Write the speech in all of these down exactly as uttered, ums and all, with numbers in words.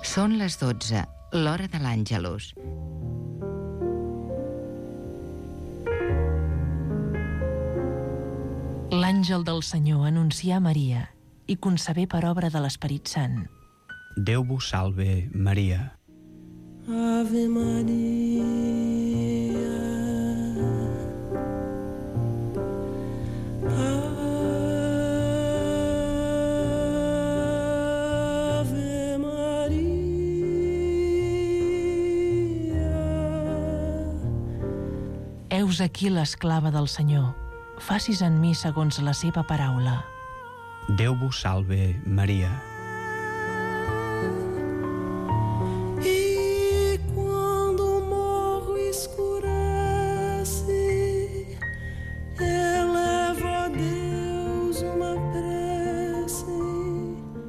Són les dotze, l'hora de l'Àngelus. L'àngel del Senyor anuncià a Maria i concebé per obra de l'Esperit Sant. Déu vos salve, Maria. Ave Maria, Ave Maria. Heus aquí l'esclava del Senyor. Facis en mi segons la seva paraula. Déu vos salve, Maria. E quando o morro escurece, eleva a Deus uma prece.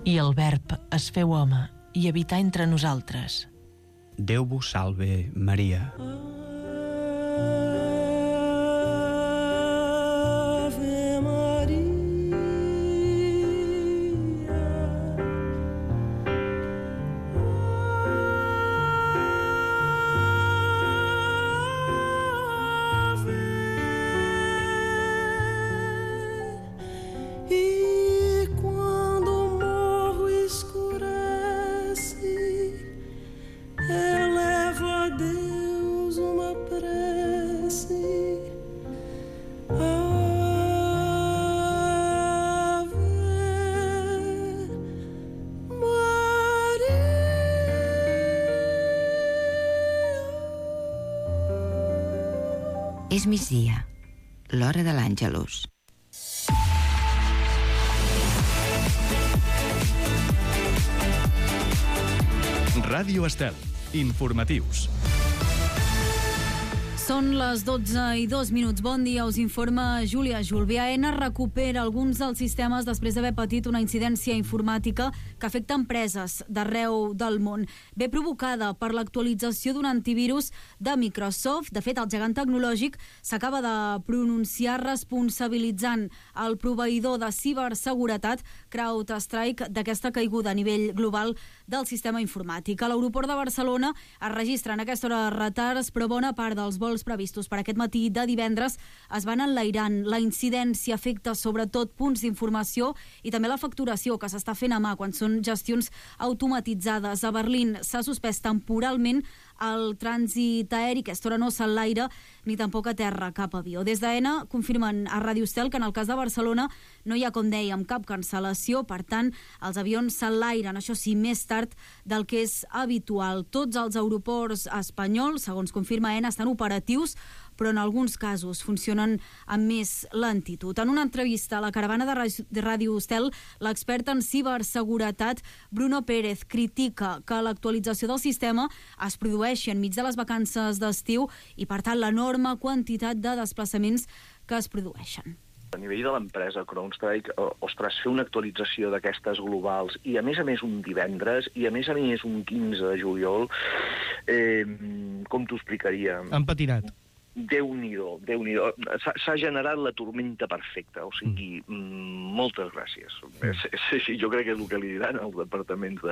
I el Verb es feu home i habità entre nosaltres. Déu vos salve, Maria. És migdia, l'hora de l'Àngelus. Ràdio Estel, informatius. Són les dotze i dos minuts. Bon dia, us informa Júlia Julvi. AENA recupera alguns dels sistemes després d'haver patit una incidència informàtica que afecta empreses d'arreu del món. Ve provocada per l'actualització d'un antivirus de Microsoft. De fet, el gegant tecnològic s'acaba de pronunciar responsabilitzant el proveïdor de ciberseguretat CrowdStrike d'aquesta caiguda a nivell global del sistema informàtic. A l'aeroport de Barcelona es registren a aquesta hora retards, però bona part dels vols previstos per aquest matí de divendres es van enlairant. La incidència afecta sobretot punts d'informació i també la facturació que s'està fent a mà quan són gestions automatitzades. A Berlín s'ha suspès temporalment el trànsit aeri, que a aquesta hora no s'enlaira ni tampoc a terra cap avió. Des d'AENA confirmen a Ràdio Estel que en el cas de Barcelona no hi ha, com dèiem, cap cancel·lació, per tant, els avions s'enlairen, això sí, més tard del que és habitual. Tots els aeroports espanyols, segons confirma AENA, estan operatius, però en alguns casos funcionen amb més lentitud. En una entrevista a la caravana de Ràdio Estel, l'expert en ciberseguretat Bruno Pérez critica que l'actualització del sistema es produeixi enmig de les vacances d'estiu i, per tant, l'enorme quantitat de desplaçaments que es produeixen. A nivell de l'empresa CrowdStrike, ostres, fer una actualització d'aquestes globals i a més a més un divendres i a més a més un quinze de juliol, eh, com t'ho explicaria? Han patinat. Déu-n'hi-do, Déu-n'hi-do. S'ha generat la tormenta perfecta, o sigui, mm. moltes gràcies. Sí, sí, jo crec que és el que li diran als departaments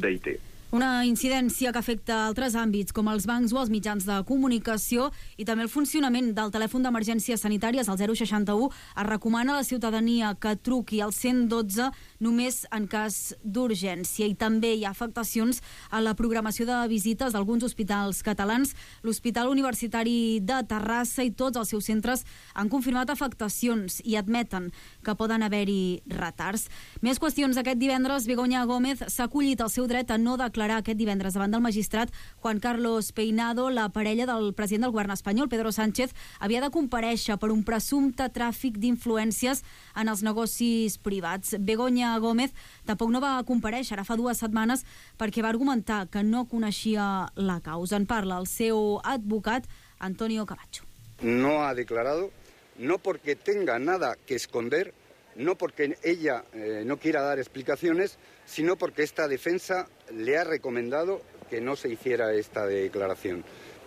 d'I T. Una incidència que afecta altres àmbits, com els bancs o els mitjans de comunicació, i també el funcionament del telèfon d'emergències sanitàries, el zero seixanta u. Es recomana a la ciutadania que truqui al cent dotze només en cas d'urgència. I també hi ha afectacions a la programació de visites d'alguns hospitals catalans. L'Hospital Universitari de Terrassa i tots els seus centres han confirmat afectacions i admeten que poden haver-hi retards. Més qüestions. Aquest divendres, Begoña Gómez s'ha acollit el seu dret a no declarar aquest divendres davant del magistrat Juan Carlos Peinado. La parella del president del govern espanyol, Pedro Sánchez, havia de comparèixer per un presumpte tràfic d'influències en els negocis privats. Begoña Gómez tampoc no va comparèixer ara fa dues setmanes perquè va argumentar que no coneixia la causa. En parla el seu advocat, Antonio Camacho. No ha declarado, no porque tenga nada que esconder, no porque ella eh, no quiera dar explicaciones, sino porque esta defensa le ha recomendado que no se hiciera esta declaración.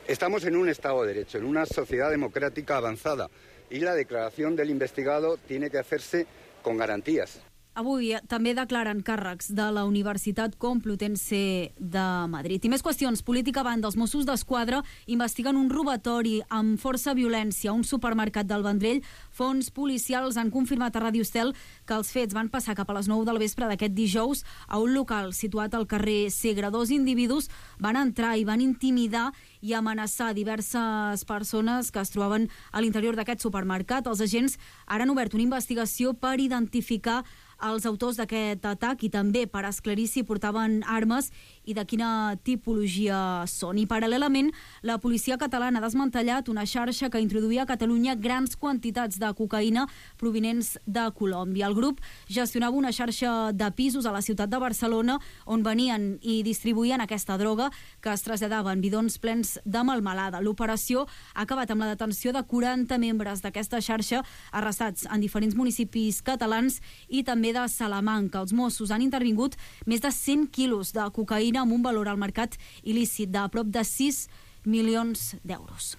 Estamos en un Estado de Derecho, en una sociedad democrática avanzada, y la declaración del investigado tiene que hacerse con garantías. Avui també declaren càrrecs de la Universitat Complutense de Madrid. I més qüestions. Política a banda. Els Mossos d'Esquadra investiguen un robatori amb força violència a un supermercat del Vendrell. Fons policials han confirmat a Ràdio Estel que els fets van passar cap a les nou del vespre d'aquest dijous a un local situat al carrer Segre. Dos individus van entrar i van intimidar i amenaçar diverses persones que es trobaven a l'interior d'aquest supermercat. Els agents ara han obert una investigació per identificar els autors d'aquest atac i també per esclarir si portaven armes i de quina tipologia són. I paral·lelament, la policia catalana ha desmantellat una xarxa que introduïa a Catalunya grans quantitats de cocaïna provinents de Colòmbia. El grup gestionava una xarxa de pisos a la ciutat de Barcelona on venien i distribuïen aquesta droga que es traslladava en bidons plens de melmelada. L'operació ha acabat amb la detenció de quaranta membres d'aquesta xarxa arrestats en diferents municipis catalans i també de Salamanca. Els Mossos han intervingut més de cent quilos de cocaïna amb un valor al mercat il·lícit de prop de sis milions d'euros.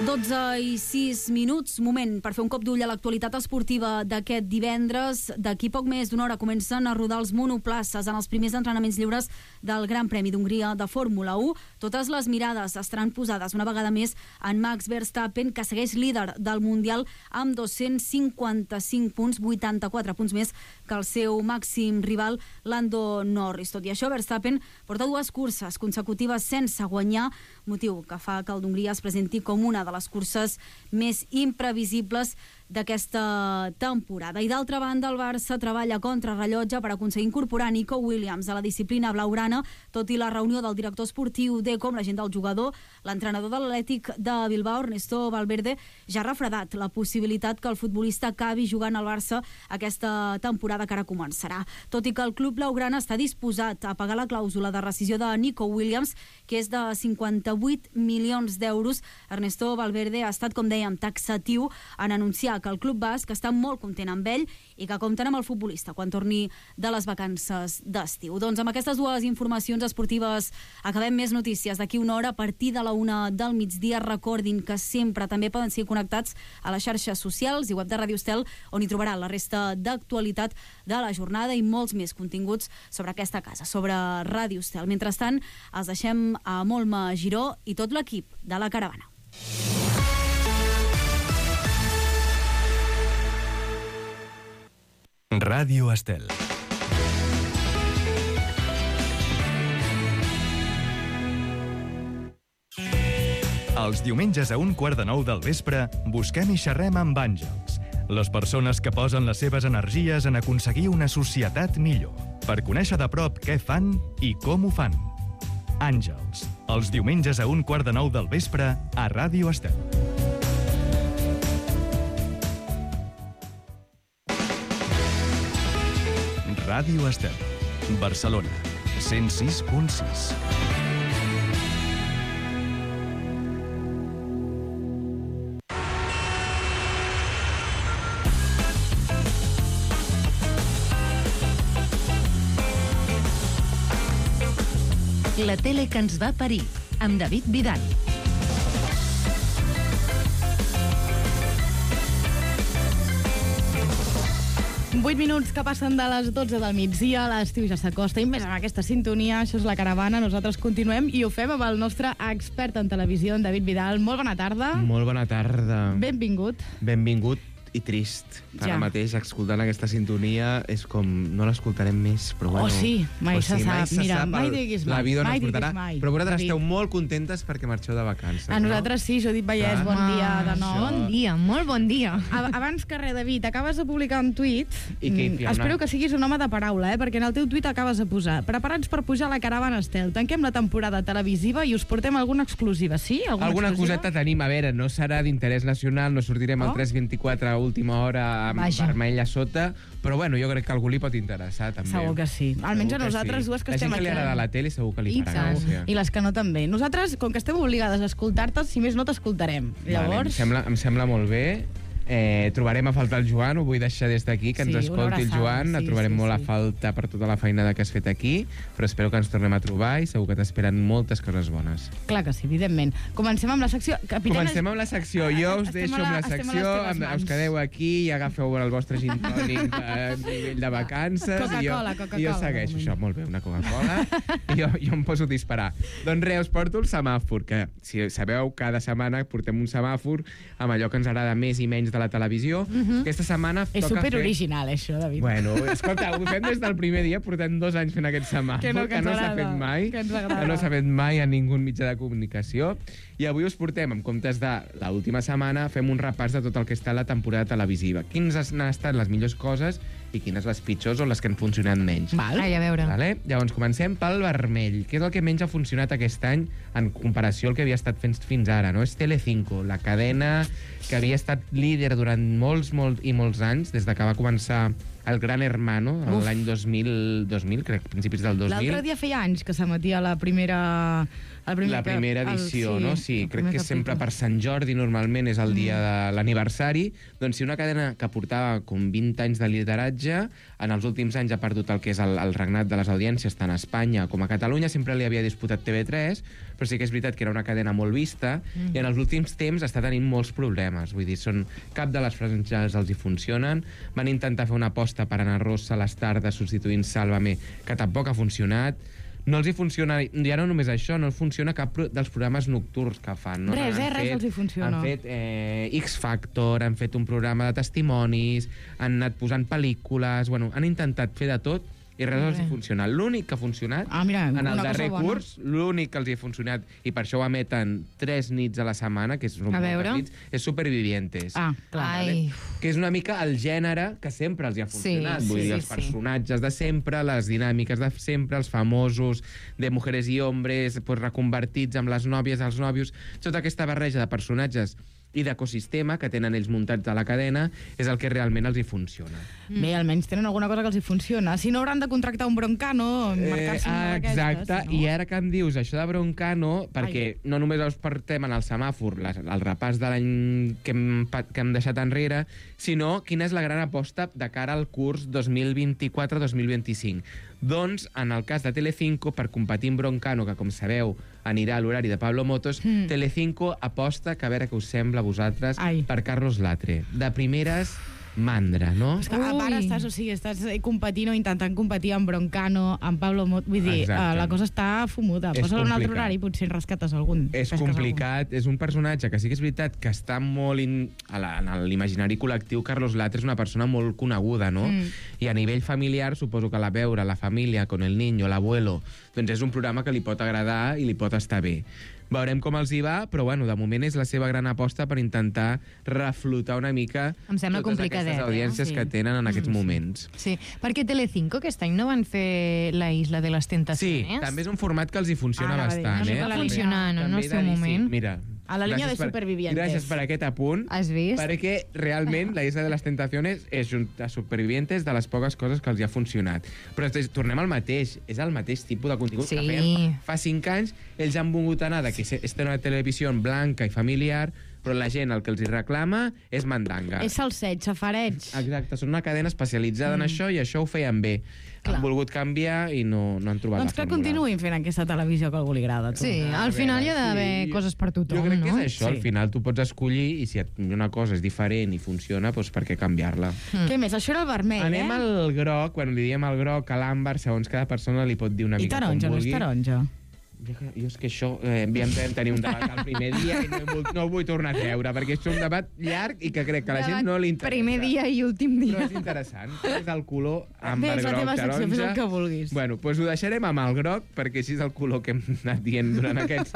dotze i sis minuts, moment per fer un cop d'ull a l'actualitat esportiva d'aquest divendres. D'aquí poc més d'una hora comencen a rodar els monoplaces en els primers entrenaments lliures del Gran Premi d'Hongria de Fórmula u. Totes les mirades estaran posades una vegada més en Max Verstappen, que segueix líder del Mundial amb dos-cents cinquanta-cinc punts, vuitanta-quatre punts més que el seu màxim rival Lando Norris. Tot i això, Verstappen porta dues curses consecutives sense guanyar, motiu que fa que el d'Hongria es presenti com una de les curses més imprevisibles d'aquesta temporada. I d'altra banda, el Barça treballa contra rellotge per aconseguir incorporar Nico Williams a la disciplina blaugrana, tot i la reunió del director esportiu de com l'agent del jugador. L'entrenador de l'Atlètic de Bilbao, Ernesto Valverde, ja ha refredat la possibilitat que el futbolista acabi jugant al Barça aquesta temporada que ara començarà. Tot i que el club blaugrana està disposat a pagar la clàusula de rescisió de Nico Williams, que és de cinquanta-vuit milions d'euros, Ernesto Valverde ha estat, com dèiem, taxatiu en anunciar que el club basc està molt content amb ell i que compten amb el futbolista quan torni de les vacances d'estiu. Doncs amb aquestes dues informacions esportives acabem. Més notícies d'aquí una hora a partir de la una del migdia. Recordin que sempre també poden ser connectats a les xarxes socials i web de Ràdio Estel, on hi trobarà la resta d'actualitat de la jornada i molts més continguts sobre aquesta casa, sobre Ràdio Estel. Mentrestant, els deixem a Molma Giró i tot l'equip de la caravana. Ràdio Estel. Els diumenges a un quart de nou del vespre busquem i xerrem amb àngels, les persones que posen les seves energies en aconseguir una societat millor, per conèixer de prop què fan i com ho fan. Àngels, els diumenges a un quart de nou del vespre a Ràdio Estel. Ràdio Estel, Barcelona, cent sis punt sis. La tele que ens va parir, amb David Vidal. vuit minuts que passen de les dotze del migdia, l'estiu ja s'acosta, i més amb aquesta sintonia, això és La Caravana, nosaltres continuem i ho fem amb el nostre expert en televisió, en David Vidal. Molt bona tarda. Molt bona tarda. Benvingut. Benvingut i trist. Ja. Ara mateix, escoltant aquesta sintonia, és com no l'escoltarem més, però bueno... Oh, sí, mai oh, se sí, sap. Mai se Mira, sap, mai el, diguis mai. La vida no mai es portarà. mai. Però vosaltres David, esteu molt contentes perquè marxeu de vacances, a nosaltres no? sí, Judit Vallès, bon Clar. dia de nou. Això. Bon dia, molt bon dia. A- Abans que res, David, acabes de publicar un tuit. I què, Mm, Fiona? Espero que siguis un home de paraula, eh? Perquè en el teu tuit acabes de posar: preparats per pujar a la caravana Estel. Tanquem la temporada televisiva i us portem alguna exclusiva, sí? Alguna, Alguna exclusiva? coseta tenim, a veure, no serà d'interès nacional, no sortirem Oh. al tres vint-i-quatre a última hora amb Vaja. vermell a sota, però bueno, jo crec que a algú li pot interessar, també. Segur que sí. Almenys Segur a que nosaltres sí. dues que la estem gent que li aquí. agrada la tele segur que li I, farà segur. gràcia. I les que no també. Nosaltres, com que estem obligades a escoltar-te, si més no t'escoltarem. Vale, em, Llavors... sembla, em sembla molt bé. Eh, trobarem a faltar el Joan, ho vull deixar des d'aquí, que ens Sí, una escolti el abraçada, Joan, sí, et trobarem sí, molt sí. a falta per tota la feinada que has fet aquí, però espero que ens tornem a trobar i segur que t'esperen moltes coses bones. Clar que sí, evidentment. Comencem amb la secció. Capitana... Comencem amb la secció. Jo us Estem deixo a la- amb la estem a les secció, teves amb, mans. us quedeu aquí i agafeu el vostre gin tònic de nivell de vacances. i jo, Coca-Cola, Coca-Cola, I jo de segueixo moment. això, molt bé, una Coca-Cola, i jo, jo em poso a disparar. Doncs res, us porto el semàfor, que si sabeu, cada setmana portem un semàfor amb allò que ens agrada més i menys de la televisió. Mhm. Aquesta setmana És toca fer... superoriginal, això, David. Bueno, escolta, ho fem des del primer dia, portem dos anys fent aquest semàfor, Que no, que ens s'ha agrada, fet mai, que ens agrada. que no s'ha fet mai a ningú mitjà de comunicació. I avui us portem, en comptes de l'última setmana, fem un repàs de tot el que està a la temporada televisiva. Quines han estat les millors coses i quines les pitjors o les que han funcionat menys. Val. Ai, a veure. Vale? Llavors, comencem pel vermell. Què és el que menys ha funcionat aquest any en comparació al que havia estat fent fins ara? No? És Telecinco, la cadena que havia estat líder durant molts, molts i molts anys, des de que va començar el Gran Hermano, Uf. l'any dos mil, dos mil, crec, principis del dos mil. L'altre dia feia anys que s'emetia la primera... El primer La primera cap- el- edició, sí, no? Sí, el crec primer que capítol. sempre per Sant Jordi normalment és el dia de l'aniversari. Doncs si una cadena que portava com vint anys de lideratge, en els últims anys ha perdut el que és el, el regnat de les audiències, tant a Espanya com a Catalunya, sempre li havia disputat T V tres, però sí que és veritat que era una cadena molt vista, Mm. i en els últims temps està tenint molts problemes. Vull dir, són, cap de les franges els hi funcionen. Van intentar fer una aposta per Ana Rosa a les tardes substituint Sálvame, que tampoc ha funcionat. No els hi funciona, ja no només això, no els funciona cap pro dels programes nocturns que fan. No? Res, Han eh, res fet- els hi funciona. Han fet eh, X-Factor, han fet un programa de testimonis, han anat posant pel·lícules, bueno, han intentat fer de tot i res els hi funciona. L'únic que ha funcionat Ah, mira, en el una cosa darrer bona. curs, l'únic que els hi ha funcionat, i per això ho emeten tres nits a la setmana, que són A moltes veure. nits, és Supervivientes. Ah, clar. Ai, Que és una mica el gènere que sempre els hi ha funcionat. Sí, Vull sí, dir, els sí. personatges de sempre, les dinàmiques de sempre, els famosos de mujeres i hombres, pues, reconvertits amb les nòvies, els nòvios, tota aquesta barreja de personatges i d'ecosistema que tenen ells muntats a la cadena és el que realment els hi funciona. Bé, almenys tenen alguna cosa que els hi funciona. Si no, hauran de contractar un broncano, marcar-se una ah, d'aquestes. exacte, no? i ara que em dius això de Broncano, perquè no només us portem en el semàfor les, el repàs de l'any que, hem, pa- que hem deixat enrere, sinó quina és la gran aposta de cara al curs dos mil vint-i-quatre dos mil vint-i-cinc. Doncs, en el cas de Telecinco, per competir amb Broncano, que com sabeu anirà a l'horari de Pablo Motos, Mm. Telecinco aposta, que a veure què us sembla a vosaltres, Ai. per Carlos Latre. De primeres, mandra, no? És que a part Ui. estàs, o sigui, estàs competint o intentant competir amb Broncano, amb Pablo Mot... Vull dir, Exacte. uh, la cosa està fumuda. És Posa-la en un altre complicat. horari i potser en rescates algun. És pesques complicat, és un personatge que sí que és veritat que està molt in, a la, en l'imaginari col·lectiu. Carlos Latre és una persona molt coneguda, no? Mm. I a nivell familiar, suposo que la veure, la família, con el niño, l'abuelo, doncs és un programa que li pot agradar i li pot estar bé. Veurem com els hi va, però bueno, de moment és la seva gran aposta per intentar reflotar una mica Em sembla totes complicadet, aquestes eh? audiències Sí. que tenen en aquests moments. sí. Perquè Telecinco aquest any no van fer la Isla de les Sí, Tentaciones? també és un format que els hi funciona Ara va dir, bastant, una eh? mica la Està funcionant en També el he seu de dir, moment. Sí, mira, A la línia gràcies de per- Supervivientes. Gràcies per aquest apunt. Has vist? Perquè realment la Isla de les Tentaciones és un de Supervivientes de les poques coses que els hi ha funcionat. Però des- tornem al mateix, és el mateix tipus de contingut Sí. que feien fa cinc anys. Ells han volgut anar de que és una televisió blanca i familiar, però la gent el que els hi reclama és mandanga. És salseig, safareig. Exacte, són una cadena especialitzada mm. en això i això ho feien bé. Clar. Han volgut canviar i no, no han trobat Doncs la que fórmula. continuïn fent aquesta televisió que a algú li agrada. Tu. Sí, al final hi ha d'haver sí. coses per tothom, Jo crec no? que és això, Sí. al final tu pots escollir i si et- una cosa és diferent i funciona, doncs per què canviar-la? Mm. Què més? Això era el vermell, Anem eh? al groc, bueno, li diem al groc, a l'àmbar, segons cada persona li pot dir una I mica taronja, com no és vulgui. taronja. Jo, jo és que això, eh, havíem de tenir un debat el primer dia i no, he vol- no ho vull tornar a treure, perquè és un debat llarg i que crec que a la gent no li interessa. Primer dia i últim dia. Però és interessant. És el color àmbar, Bé, és la groc, teva secció, taronja. fes el que vulguis. Bueno, doncs ho deixarem amb el groc, perquè així és el color que hem anat dient durant aquests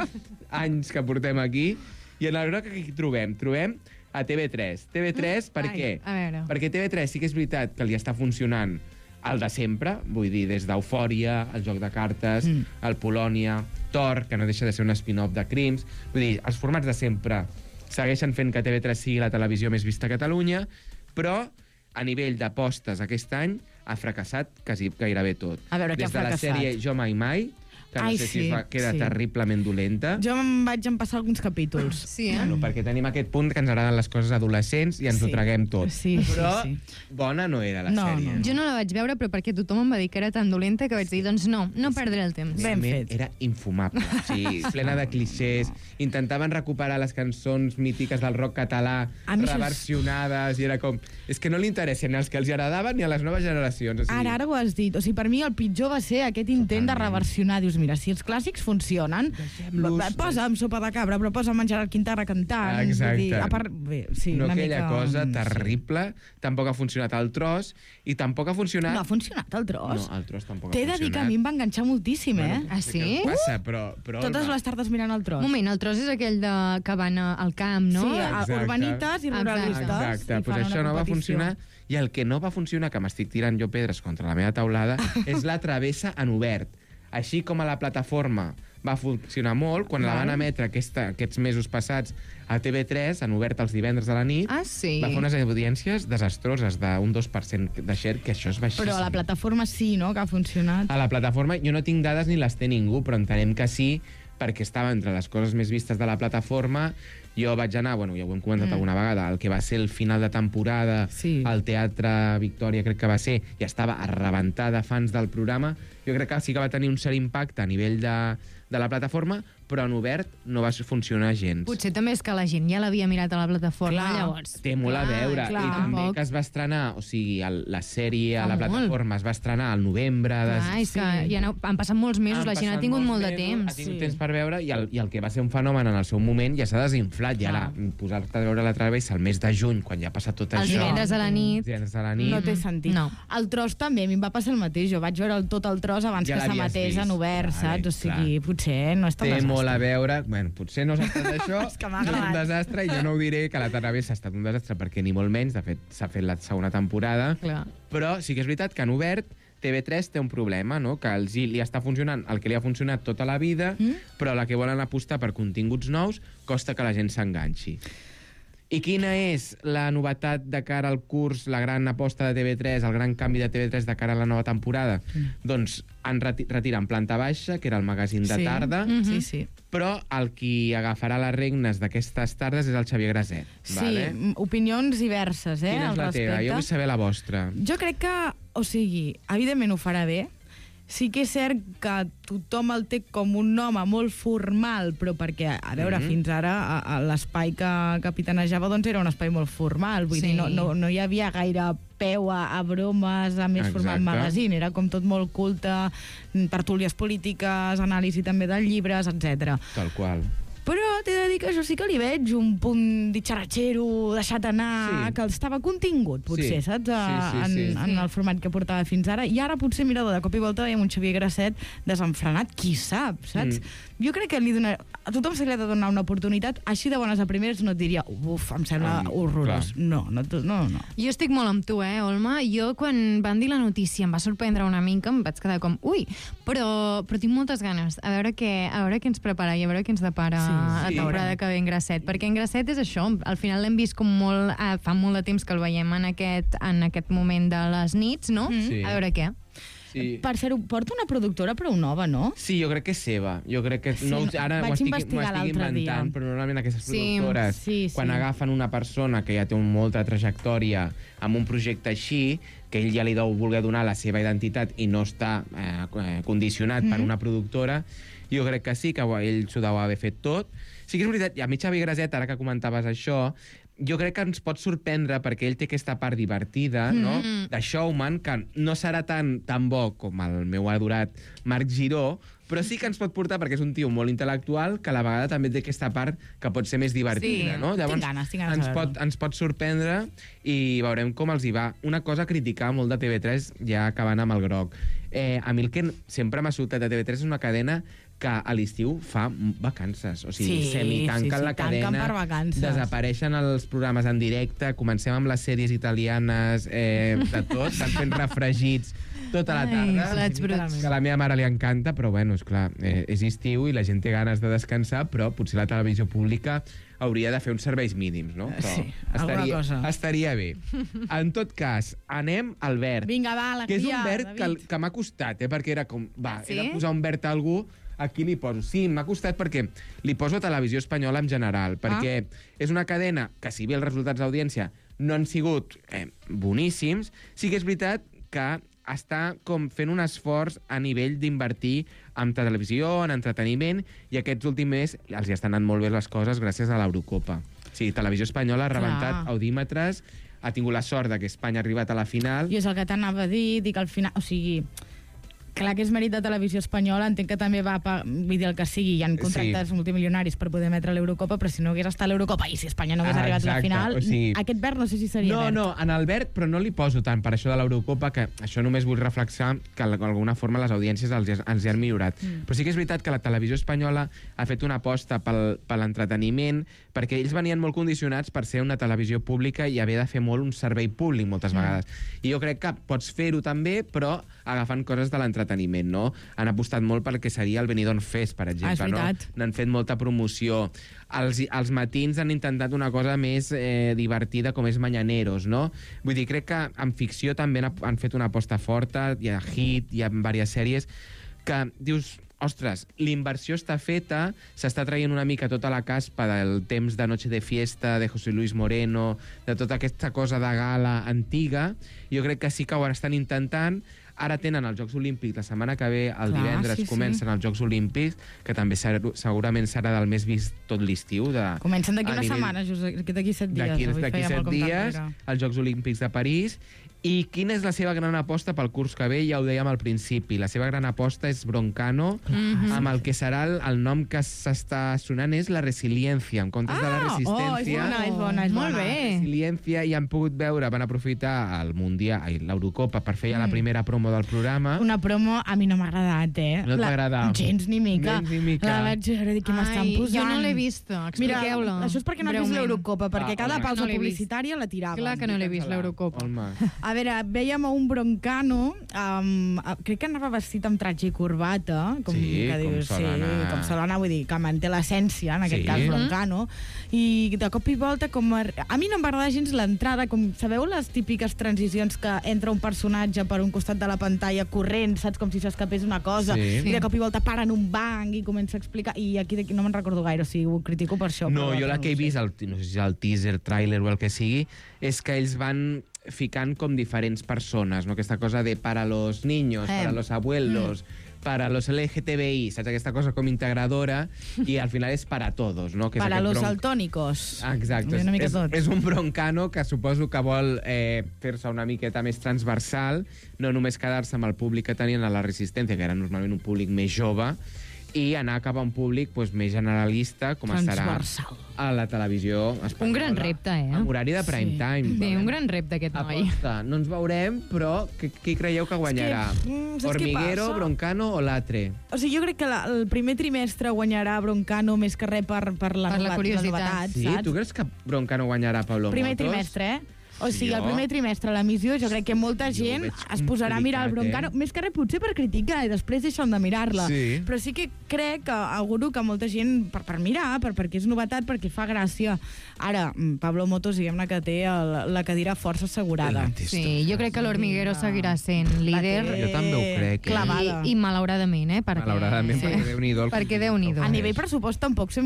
anys que portem aquí. I en el groc aquí trobem? Trobem a T V tres. T V tres, per Ai, què? a veure. Perquè T V tres sí que és veritat que li està funcionant el de sempre, vull dir, des d'Eufòria, el Joc de Cartes, Mm. el Polònia, Thor, que no deixa de ser un spin-off de Crims. Vull dir, els formats de sempre segueixen fent que T V tres sigui la televisió més vista a Catalunya, però a nivell d'apostes aquest any ha fracassat quasi gairebé tot. A veure, què Des ha de la fracassat? sèrie Jo Mai Mai, que no Ai, sé si sí, es va, queda sí. terriblement dolenta. Jo em vaig empassar alguns capítols. Sí, eh? Bueno, perquè tenim aquest punt que ens agraden les coses adolescents i ens Sí. ho traguem tot. Sí, sí, Però sí. bona no era la No, sèrie. no. Jo no la vaig veure, però perquè tothom em va dir que era tan dolenta que vaig dir, doncs no, no perdré el temps. Ben Realment fet. Era infumable. O sigui, plena de clixés. Intentaven recuperar les cançons mítiques del rock català, A mi això és- reversionades, i era com... És que no li interessen ni als que els agradaven ni a les noves generacions. O sigui, Ara, ara ho has dit. O sigui, per mi el pitjor va ser aquest intent de reversionar. Dius, mira, si els clàssics funcionen, va- posa'm Sopa de Cabra, però posa'm en Gerard Quintana cantant. Exacte. Vull dir, a part, bé, sí, no una aquella mica... cosa sí. terrible, tampoc ha funcionat el tros, i tampoc ha funcionat... No ha funcionat el tros? No, el tros tampoc T'he ha de funcionat. dir que a mi em va enganxar moltíssim, eh? Ah, No sé què sí? passa, però... però Totes les tardes mirant el tros. Un moment, el tros és aquell de que van a- al camp, no? Sí, a- Exacte. urbanites i ruralistes. Exacte, i pues fan això una no va competició. funcionar. I el que no va funcionar, que m'estic tirant jo pedres contra la meva taulada, és la travessa en obert. Així com a la plataforma va funcionar molt, quan la van emetre aquesta, aquests mesos passats a T V tres, en obert els divendres a la nit, Ah, sí? va fer unes audiències desastroses, d'un dos per cent de share, que això és baixíssim. Però a la plataforma sí, no?, que ha funcionat. A la plataforma, jo no tinc dades ni les té ningú, però entenem que sí, perquè estava entre les coses més vistes de la plataforma. Jo vaig anar, bueno, ja ho hem comentat Mm. alguna vegada, el que va ser el final de temporada Sí. al Teatre Victòria, crec que va ser, i estava a rebentar de fans del programa. Jo crec que sí que va tenir un cert impacte a nivell de, de la plataforma, però en obert no va funcionar gens. Potser també és que la gent ja l'havia mirat a la plataforma, Clar. llavors. Té molt a veure. clar. I també Tampoc. que es va estrenar, o sigui, el, la sèrie a Fa la molt. plataforma es va estrenar al novembre. De... Clar, és que Sí. ja no, han passat molts mesos, Han la gent ha passat tingut molts molt de mesos, temps. Ha tingut Sí. temps per veure, i el, i el que va ser un fenomen en el seu moment ja s'ha desinflat. I ara, posar-te a veure la travessa el mes de juny, quan ja ha passat tot Els això... divendres a la nit. Els divendres a la nit... No té sentit. No. El tros també, a mi em va passar el mateix. Jo vaig veure el, tot el tros abans Ja que l'havies s'emetés vist. en obert, Vale, saps? O sigui, clar. potser no és tan Té desastre. molt a veure... Bueno, potser no s'ha estat això, És que m'ha no és un agradat. desastre, i jo no ho diré que la travessa ha estat un desastre, perquè ni molt menys, de fet, s'ha fet la segona temporada, Clar. però sí que és veritat que en obert T V tres té un problema, no? Que els hi, li està funcionant el que li ha funcionat tota la vida, mm? però la que volen apostar per continguts nous costa que la gent s'enganxi. I quina és la novetat de cara al curs, la gran aposta de T V tres, el gran canvi de T V tres de cara a la nova temporada? Mm. Doncs han reti retiren Planta Baixa, que era el magazín de Sí. tarda, Mm -hmm. Sí, sí. però el qui agafarà les regnes d'aquestes tardes és el Xavier Graset. Sí, Vale? m- opinions diverses, eh, Quina és al la respecte. teva? Jo vull saber la vostra. Jo crec que, o sigui, evidentment ho farà bé. Sí que és cert que tothom el té com un home molt formal, però perquè, a veure, Mhm. fins ara a, a l'espai que capitanejava doncs era un espai molt formal, vull Sí. dir, no, no, no hi havia gaire peu a, a bromes, a més Exacte. format magazine, era com tot molt culte, tertúlies polítiques, anàlisi també de llibres, etcètera. Tal qual. Però t'he de dir que jo sí que li veig un punt ditxaratxero, deixat anar, Sí. que estava contingut, potser, Sí. saps? A, Sí, sí, sí. En, en el format que portava fins ara. I ara potser, mira, de cop i volta veiem un Xavier Graset desenfrenat, qui sap, saps? Mm. Jo crec que li donar, a tothom se li ha de donar una oportunitat, així de bones a primeres no et diria, uf, em sembla Um, horrorós. clar. No, no, no, no. Jo estic molt amb tu, eh, Olma? Jo, quan van dir la notícia, em va sorprendre una mica, em vaig quedar com, ui, però, però tinc moltes ganes a veure què, a veure què ens prepara i a veure què ens depara Sí, la sí. temporada que ve en Grasset, perquè en Grasset és això, al final l'hem vist com molt, eh, fa molt de temps que el veiem en aquest, en aquest moment de les nits, no? Sí. A veure què. Sí. Per fer-ho, porta una productora prou nova, no? Sí, jo crec que és seva. Jo crec que... Sí, no, ara vaig m'ho estic, investigar m'ho estic l'altre inventant, dia. però normalment aquestes Sí, productores, sí, sí. quan agafen una persona que ja té un, molta trajectòria amb un projecte així, que ell ja li deu voler donar la seva identitat i no està eh, eh, condicionat mm. per una productora, jo crec que sí, que ell s'ho deu haver fet tot. Sí que és veritat, i a mi Xavi Graset, ara que comentaves això, jo crec que ens pot sorprendre perquè ell té aquesta part divertida, no? Mm. De showman, que no serà tan, tan bo com el meu adorat Marc Giró, però sí que ens pot portar, perquè és un tio molt intel·lectual, que a la vegada també té aquesta part que pot ser més divertida, Sí, no? tinc ganes, tinc ganes ens, de pot, veure-ho. ens pot sorprendre i veurem com els hi va. Una cosa a criticar molt de T V tres, ja acabant amb el groc. Eh, a mi el que sempre m'ha sobtat de T V tres és una cadena que a l'estiu fa vacances. O sigui, Sí, semitanquen sí, sí, la tanquen cadena, per vacances. desapareixen els programes en directe, comencem amb les sèries italianes, eh, de tot, estan fent refregits tota la Ai, tarda. plats bruts. Que a la meva mare li encanta, però bueno, és clar, eh, és estiu i la gent té ganes de descansar, però potser la televisió pública hauria de fer uns serveis mínims, no? Però sí, alguna estaria, cosa. estaria bé. En tot cas, anem al verd. Vinga, va, alegria, que és un verd que, David. que m'ha costat, eh? Perquè era com, va, Sí? he de posar un verd a algú, aquí li poso. Sí, m'ha costat perquè li poso Televisió Espanyola en general, perquè Ah. és una cadena que, si bé els resultats d'audiència no han sigut eh, boníssims, sí que és veritat que està com fent un esforç a nivell d'invertir en televisió, en entreteniment, i aquests últims mesos els hi estan anant molt bé les coses gràcies a l'Eurocopa. Sí, Televisió Espanyola ha rebentat Clar. audímetres, ha tingut la sort de que Espanya ha arribat a la final. I és el que t'anava a dir, dic al final... O sigui, clar que és mèrit de Televisió Espanyola, entenc que també va, pa, vull dir el que sigui, hi ha contractes sí. multimilionaris per poder emetre l'Eurocopa, però si no hagués estat l'Eurocopa i si Espanya no hagués Ah, arribat a la exacte, final, o sigui- aquest verd no sé si seria No, verd. no, en el verd, però no li poso tant per això de l'Eurocopa, que això només vull reflexar que d'alguna forma les audiències els, ens hi han millorat. Mm. Però sí que és veritat que la Televisió Espanyola ha fet una aposta pel, per l'entreteniment, perquè ells venien molt condicionats per ser una televisió pública i haver de fer molt un servei públic moltes Mm. vegades. I jo crec que pots fer-ho també, però agafant coses de l'entreteniment, no? Han apostat molt pel que seria el Benidorm Fest, per exemple. Ah, és veritat. No? N'han fet molta promoció. Els, els matins han intentat una cosa més eh, divertida, com és Mañaneros, no? Vull dir, crec que en ficció també han, han fet una aposta forta, hi ha Hit, hi ha diverses sèries, que dius, ostres, l'inversió està feta, s'està traient una mica tota la caspa del temps de Noche de Fiesta, de José Luis Moreno, de tota aquesta cosa de gala antiga. Jo crec que sí que ho estan intentant. Ara tenen els Jocs Olímpics, la setmana que ve, el Clar, divendres, sí, sí. comencen els Jocs Olímpics, que també ser, segurament serà del més vist tot l'estiu. De, Comencen d'aquí a una nivell- setmana, just d'aquí set dies. D'aquí Avui d'aquí fèiem el set compte dies, enrere. els Jocs Olímpics de París. I quina és la seva gran aposta pel curs que ve? Ja ho dèiem al principi. La seva gran aposta és Broncano, Mhm. amb el que serà el, el nom que s'està sonant és la resiliència, en comptes de la Ah, resistència. oh, és bona, és bona, és Molt bona. bé. Resiliència, i han pogut veure, van aprofitar el Mundial, ai, l'Eurocopa per fer ja la Mm. primera promo del programa. Una promo a mi no m'ha agradat, eh? No t'ha La- agradat? Gens ni mica. Gens ni mica. La vaig veure, dic, què m'estan Ai, posant? jo no l'he vist, Mira, expliqueu-la. això és perquè no has vist breument. l'Eurocopa, perquè Ah, cada home. pausa No l'he vist. publicitària la tiraven. Clar que no l'he vist, l'Eurocopa. Home. A veure, vèiem a un Broncano, um, crec que anava vestit amb tratge i corbata, com Sí, que com dius, sol sí, anar. com sol anar, vull dir, que manté l'essència, en aquest Sí. cas Broncano, i de cop i volta, com a, a mi no em va agradar gens l'entrada, com sabeu les típiques transicions que entra un personatge per un costat de la pantalla corrent, saps, com si s'escapés una cosa, Sí. i de cop i volta para en un banc i comença a explicar, i aquí, aquí no me'n recordo gaire, o sigui, ho critico per això. No, però jo la no que he ho sé. vist, el, no sé si és el teaser, tràiler o el que sigui, és que ells van ficant com diferents persones, no? Aquesta cosa de para los niños, Eh. para los abuelos, mm. para los L G T B I, saps? Aquesta cosa com integradora, i al final és para todos, no? Que és Para aquest los bronc- altónicos. Ah, exacte. Una mica És, tot. és un broncano que suposo que vol eh, fer-se una miqueta més transversal, no només quedar-se amb el públic que tenien a la Resistència, que era normalment un públic més jove, i anar cap a un públic doncs, més generalista, com estarà Transversal. a la televisió espanyola. Un gran repte, eh? Amb horari de prime Sí. time. Bé, un gran repte aquest noi. Aposta. No ens veurem, però qui, qui creieu que guanyarà? És que, mm, saps què Hormiguero, passa? Broncano o Latre? O sigui, jo crec que la, el primer trimestre guanyarà Broncano més que res per, per, la, Per la nova- curiositat. les novetats, Sí? saps? Tu creus que Broncano guanyarà Pablo Primer Motos? trimestre, eh? O sigui, Jo- el primer trimestre, l'emissió, jo crec que molta Jo ho gent veig es posarà a mirar el complicat, Broncano, eh? més que res potser per criticar i després deixen de mirar-la. Sí. Però sí que crec que auguro que molta gent, per, per mirar, per, perquè és novetat, perquè fa gràcia. Ara, mm, Pablo Motos, diguem-ne que té el, la cadira força assegurada. Sí, jo crec que l'Hormiguero seguirà sent líder. La té Jo també ho crec, eh? Clavada. I, i malauradament, eh? Perquè, Malauradament, perquè Déu-n'hi-do el Perquè Déu-n'hi-do. A nivell pressupost tampoc sé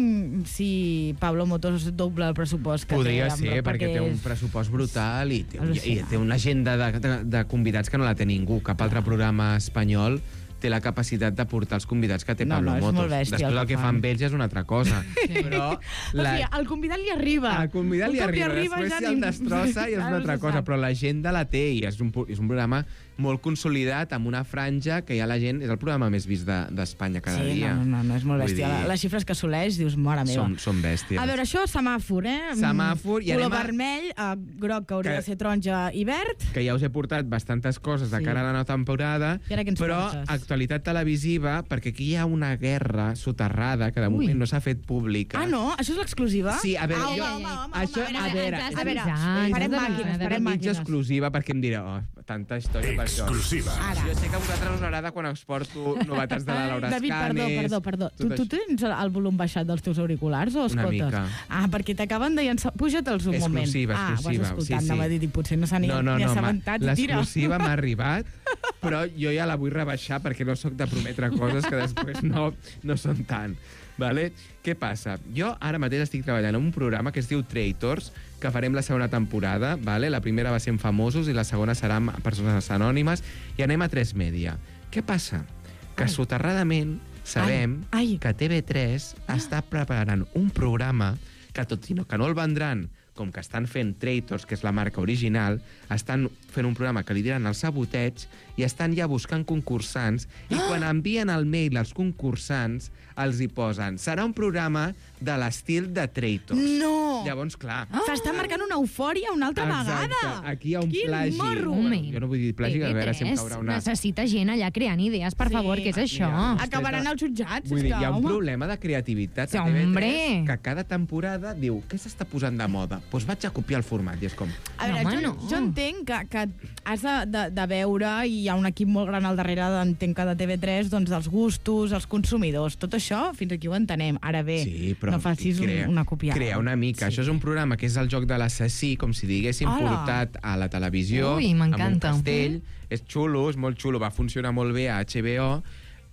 si Pablo Motos dobla el pressupost que Podria té. amb- ser, perquè té un és- pressupost brutal i té, i, i Al·lucinant. té una agenda de, de, de convidats que no la té ningú. Cap altre programa espanyol té la capacitat de portar els convidats que té No, Pablo no, és Motos. molt bèstia Després el el que que fa fan. amb ells ja és una altra cosa. Però O sigui, el convidat li arriba. el convidat Un li cop arriba, després si el ningú- destrossa i és Ja una no altra se cosa, sap. però l'agenda la té i és un, pu- és un programa molt consolidat, amb una franja que ja la gent... És el programa més vist de- d'Espanya cada Sí, dia. no, no, no, és molt Vull bèstia. dir, Les xifres que assoleix, dius, mare meva. Són, són bèsties. A veure, això, semàfor, eh? Semàfor, i Color anem a- vermell, eh, groc, que hauria Que- de ser taronja i verd. que ja us he portat bastantes coses de Sí. cara a la nova temporada, I ara què ens però portes? l'actualitat televisiva, perquè aquí hi ha una guerra soterrada que de Ui. moment no s'ha fet pública. Ah, no? Això és l'exclusiva? Sí, a veure, ah, jo... home, home, home, això, home, a veure, a és veure, mitja- farem és màquines, farem mitja màquines. exclusiva, perquè em dirà, oh, tanta història per això. Exclusiva. Ara. Jo sé que a vosaltres us agrada quan us porto novetats de la Laura David, perdó, Escanes... perdó, perdó. Tu, tot tu tens el volum baixat dels teus auriculars o Una escoltes? mica. Ah, perquè t'acaben de llançar... Puja-te'ls un moment. Exclusiva, Ah, exclusiva, vas escoltant, sí, sí. anava a dir, i potser no s'ha ni, no, no, ni no, assabentat i tira. l'exclusiva m'ha arribat, però jo ja la vull rebaixar perquè no sóc de prometre coses que després no, no són tant. Vale? Què passa? Jo ara mateix estic treballant en un programa que es diu Traitors, que farem la segona temporada. Vale? La primera va ser en famosos i la segona serà amb persones anònimes, i anem a tres Media. Què passa? Que soterradament sabem Ai. Ai. que T V tres ah. està preparant un programa que, tot i no, que no el vendran, com que estan fent Traitors, que és la marca original, estan fent un programa que li diran el saboteig i estan ja buscant concursants, i quan envien el mail als concursants els hi posen serà un programa de l'estil de Traitors. No! Llavors, clar... Ah. S'està marcant una eufòria una altra Exacte. vegada. Aquí hi ha un Quin plagi. morro. Home, Jo no vull dir plagi, a veure si em caurà una... necessita gent allà creant idees, per Sí. favor, què és això? Acabaran els jutjats, Vull dir, és que, hi ha un home. problema de creativitat Sí, a T V tres hombre. que cada temporada diu què s'està posant de moda? Doncs pues vaig a copiar el format, i és com... A veure, No, home, jo, no. jo entenc que, que has de, de, de veure, i hi ha un equip molt gran al darrere, entenc que de T V tres, doncs dels gustos, els consumidors, tot això, fins aquí ho entenem. Ara bé, Sí, però no facis crea, un, una copiada. Crea una mica. Sí. Això és un programa que és el joc de l'assassí, com si diguéssim Hola. portat a la televisió, Ui, amb un m'encanta. castell. És xulo, és molt xulo, va funcionar molt bé a H B O,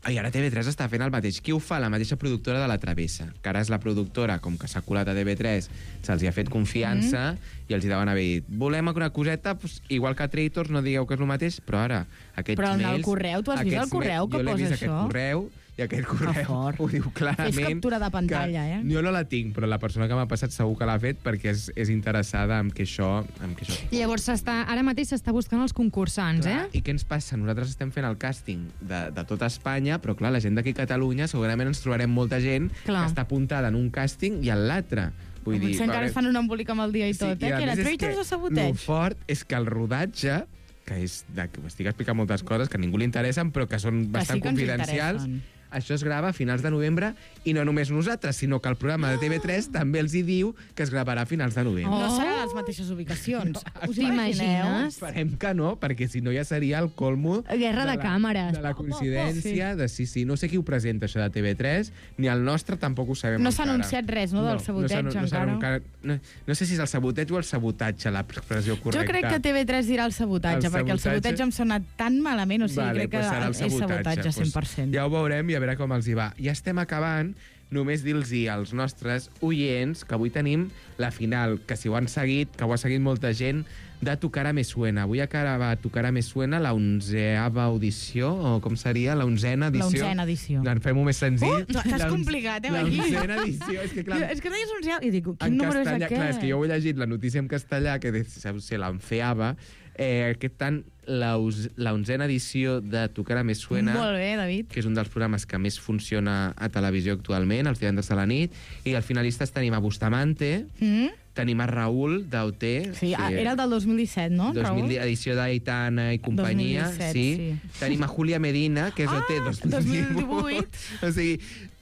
i ara T V tres està fent el mateix. Qui ho fa? La mateixa productora de La Travessa, que ara és la productora, com que s'ha colat a T V tres, se'ls hi ha fet confiança, mm. i els hi deuen haver dit, volem una coseta, pues, igual que a Traitors, no digueu que és el mateix, però ara, aquests Però en el mails... correu, tu has vist el aquests correu mails- que jo l'he posa vist, això? aquest correu, i aquest correu ho diu clarament. Fes captura de pantalla, que eh? Jo no la tinc, però la persona que m'ha passat segur que l'ha fet perquè és, és interessada en que això... En que això... Llavors, s'està, ara mateix s'està buscant els concursants, Clar, eh? I què ens passa? Nosaltres estem fent el càsting de, de tota Espanya, però clar, la gent d'aquí a Catalunya segurament ens trobarem molta gent Clar. que està apuntada en un càsting i en l'altre. Vull dir, Potser encara va es fan un embolic amb el dia i tot, i eh? a Que era més és Traitors que o saboteig? Lo fort és que el rodatge, que és de, que m'estic explicant moltes coses que a ningú li interessen, però que són Que bastant sí que ens confidencials, interessen. això es grava a finals de novembre, i no només nosaltres, sinó que el programa de T V tres també els hi diu que es gravarà a finals de novembre. No seran les mateixes ubicacions. Us T'imagines? imagineu? Esperem que no, perquè si no ja seria el colmo... Guerra de la, càmeres. De la coincidència, de sí, sí. No sé qui ho presenta, això de T V tres, ni el nostre tampoc ho sabem No s'ha encara. anunciat res, no, del saboteig, no s'ha- no s'ha encara? No, no sé si és el saboteig o el sabotatge, l'expressió correcta. Jo crec que T V tres dirà el sabotatge, El perquè el sabotatge- saboteig em sona tan malament, o sigui, vale, crec que pues serà el és sabotatge cent per cent. Pues ja ho veurem i a veure com els hi va. Ja estem acabant. Només dir-los als nostres oients que avui tenim la final, que si ho han seguit, que ho ha seguit molta gent, de Tocarà Me Suena. Avui acaba Tocarà Me Suena la onzeava audició, o com seria? La onzena edició. La onzena edició. En fem-ho més senzill. Uh, t'has La onze- complicat, eh, La aquí? onzena edició. És que, clar, És que deies onzeava, i dic, en quin número és castellà, aquest? clar, és que jo ho he llegit la notícia en castellà, que deu ser l'enfeava, eh, aquest tant, la, us- la onzena edició de Tocarà Me Suena, Molt bé, David. que és un dels programes que més funciona a televisió actualment, els divendres de la nit, i els finalistes tenim a Bustamante, Mm? tenim a Raül d'O T, Sí, ah, era el del dos mil disset, no, dos mil, Raül? edició d'Aitana i companyia, dos mil disset, sí. sí. Tenim a Júlia Medina, que és O T Ah, dos mil dos mil divuit. divuit. O sigui,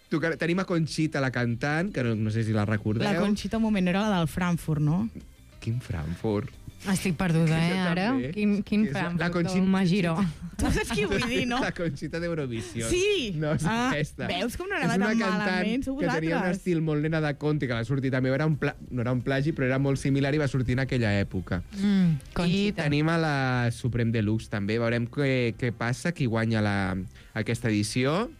tocar, tenim a Conxita, la cantant, que no, no sé si la recordeu. La Conxita, un moment, no era la del Frankfurt, no? Quin Frankfurt? Estic perduda, eh, Jo ara? també. Quin, quin És la- Frankfurt, la Conxita- el Magiró. Tu saps qui vull dir, no? La Conxita d'Eurovisió. Sí! No, és Ah, aquesta. veus com no És anava una tan cantant malament, sou que tenia un vosaltres. estil molt nena de Conte, que va sortir també, era un pla... no era un plagi, però era molt similar i va sortir en aquella època. Mm, I Conxita. tenim a la Supreme Deluxe també, veurem què, què passa, qui guanya la, aquesta edició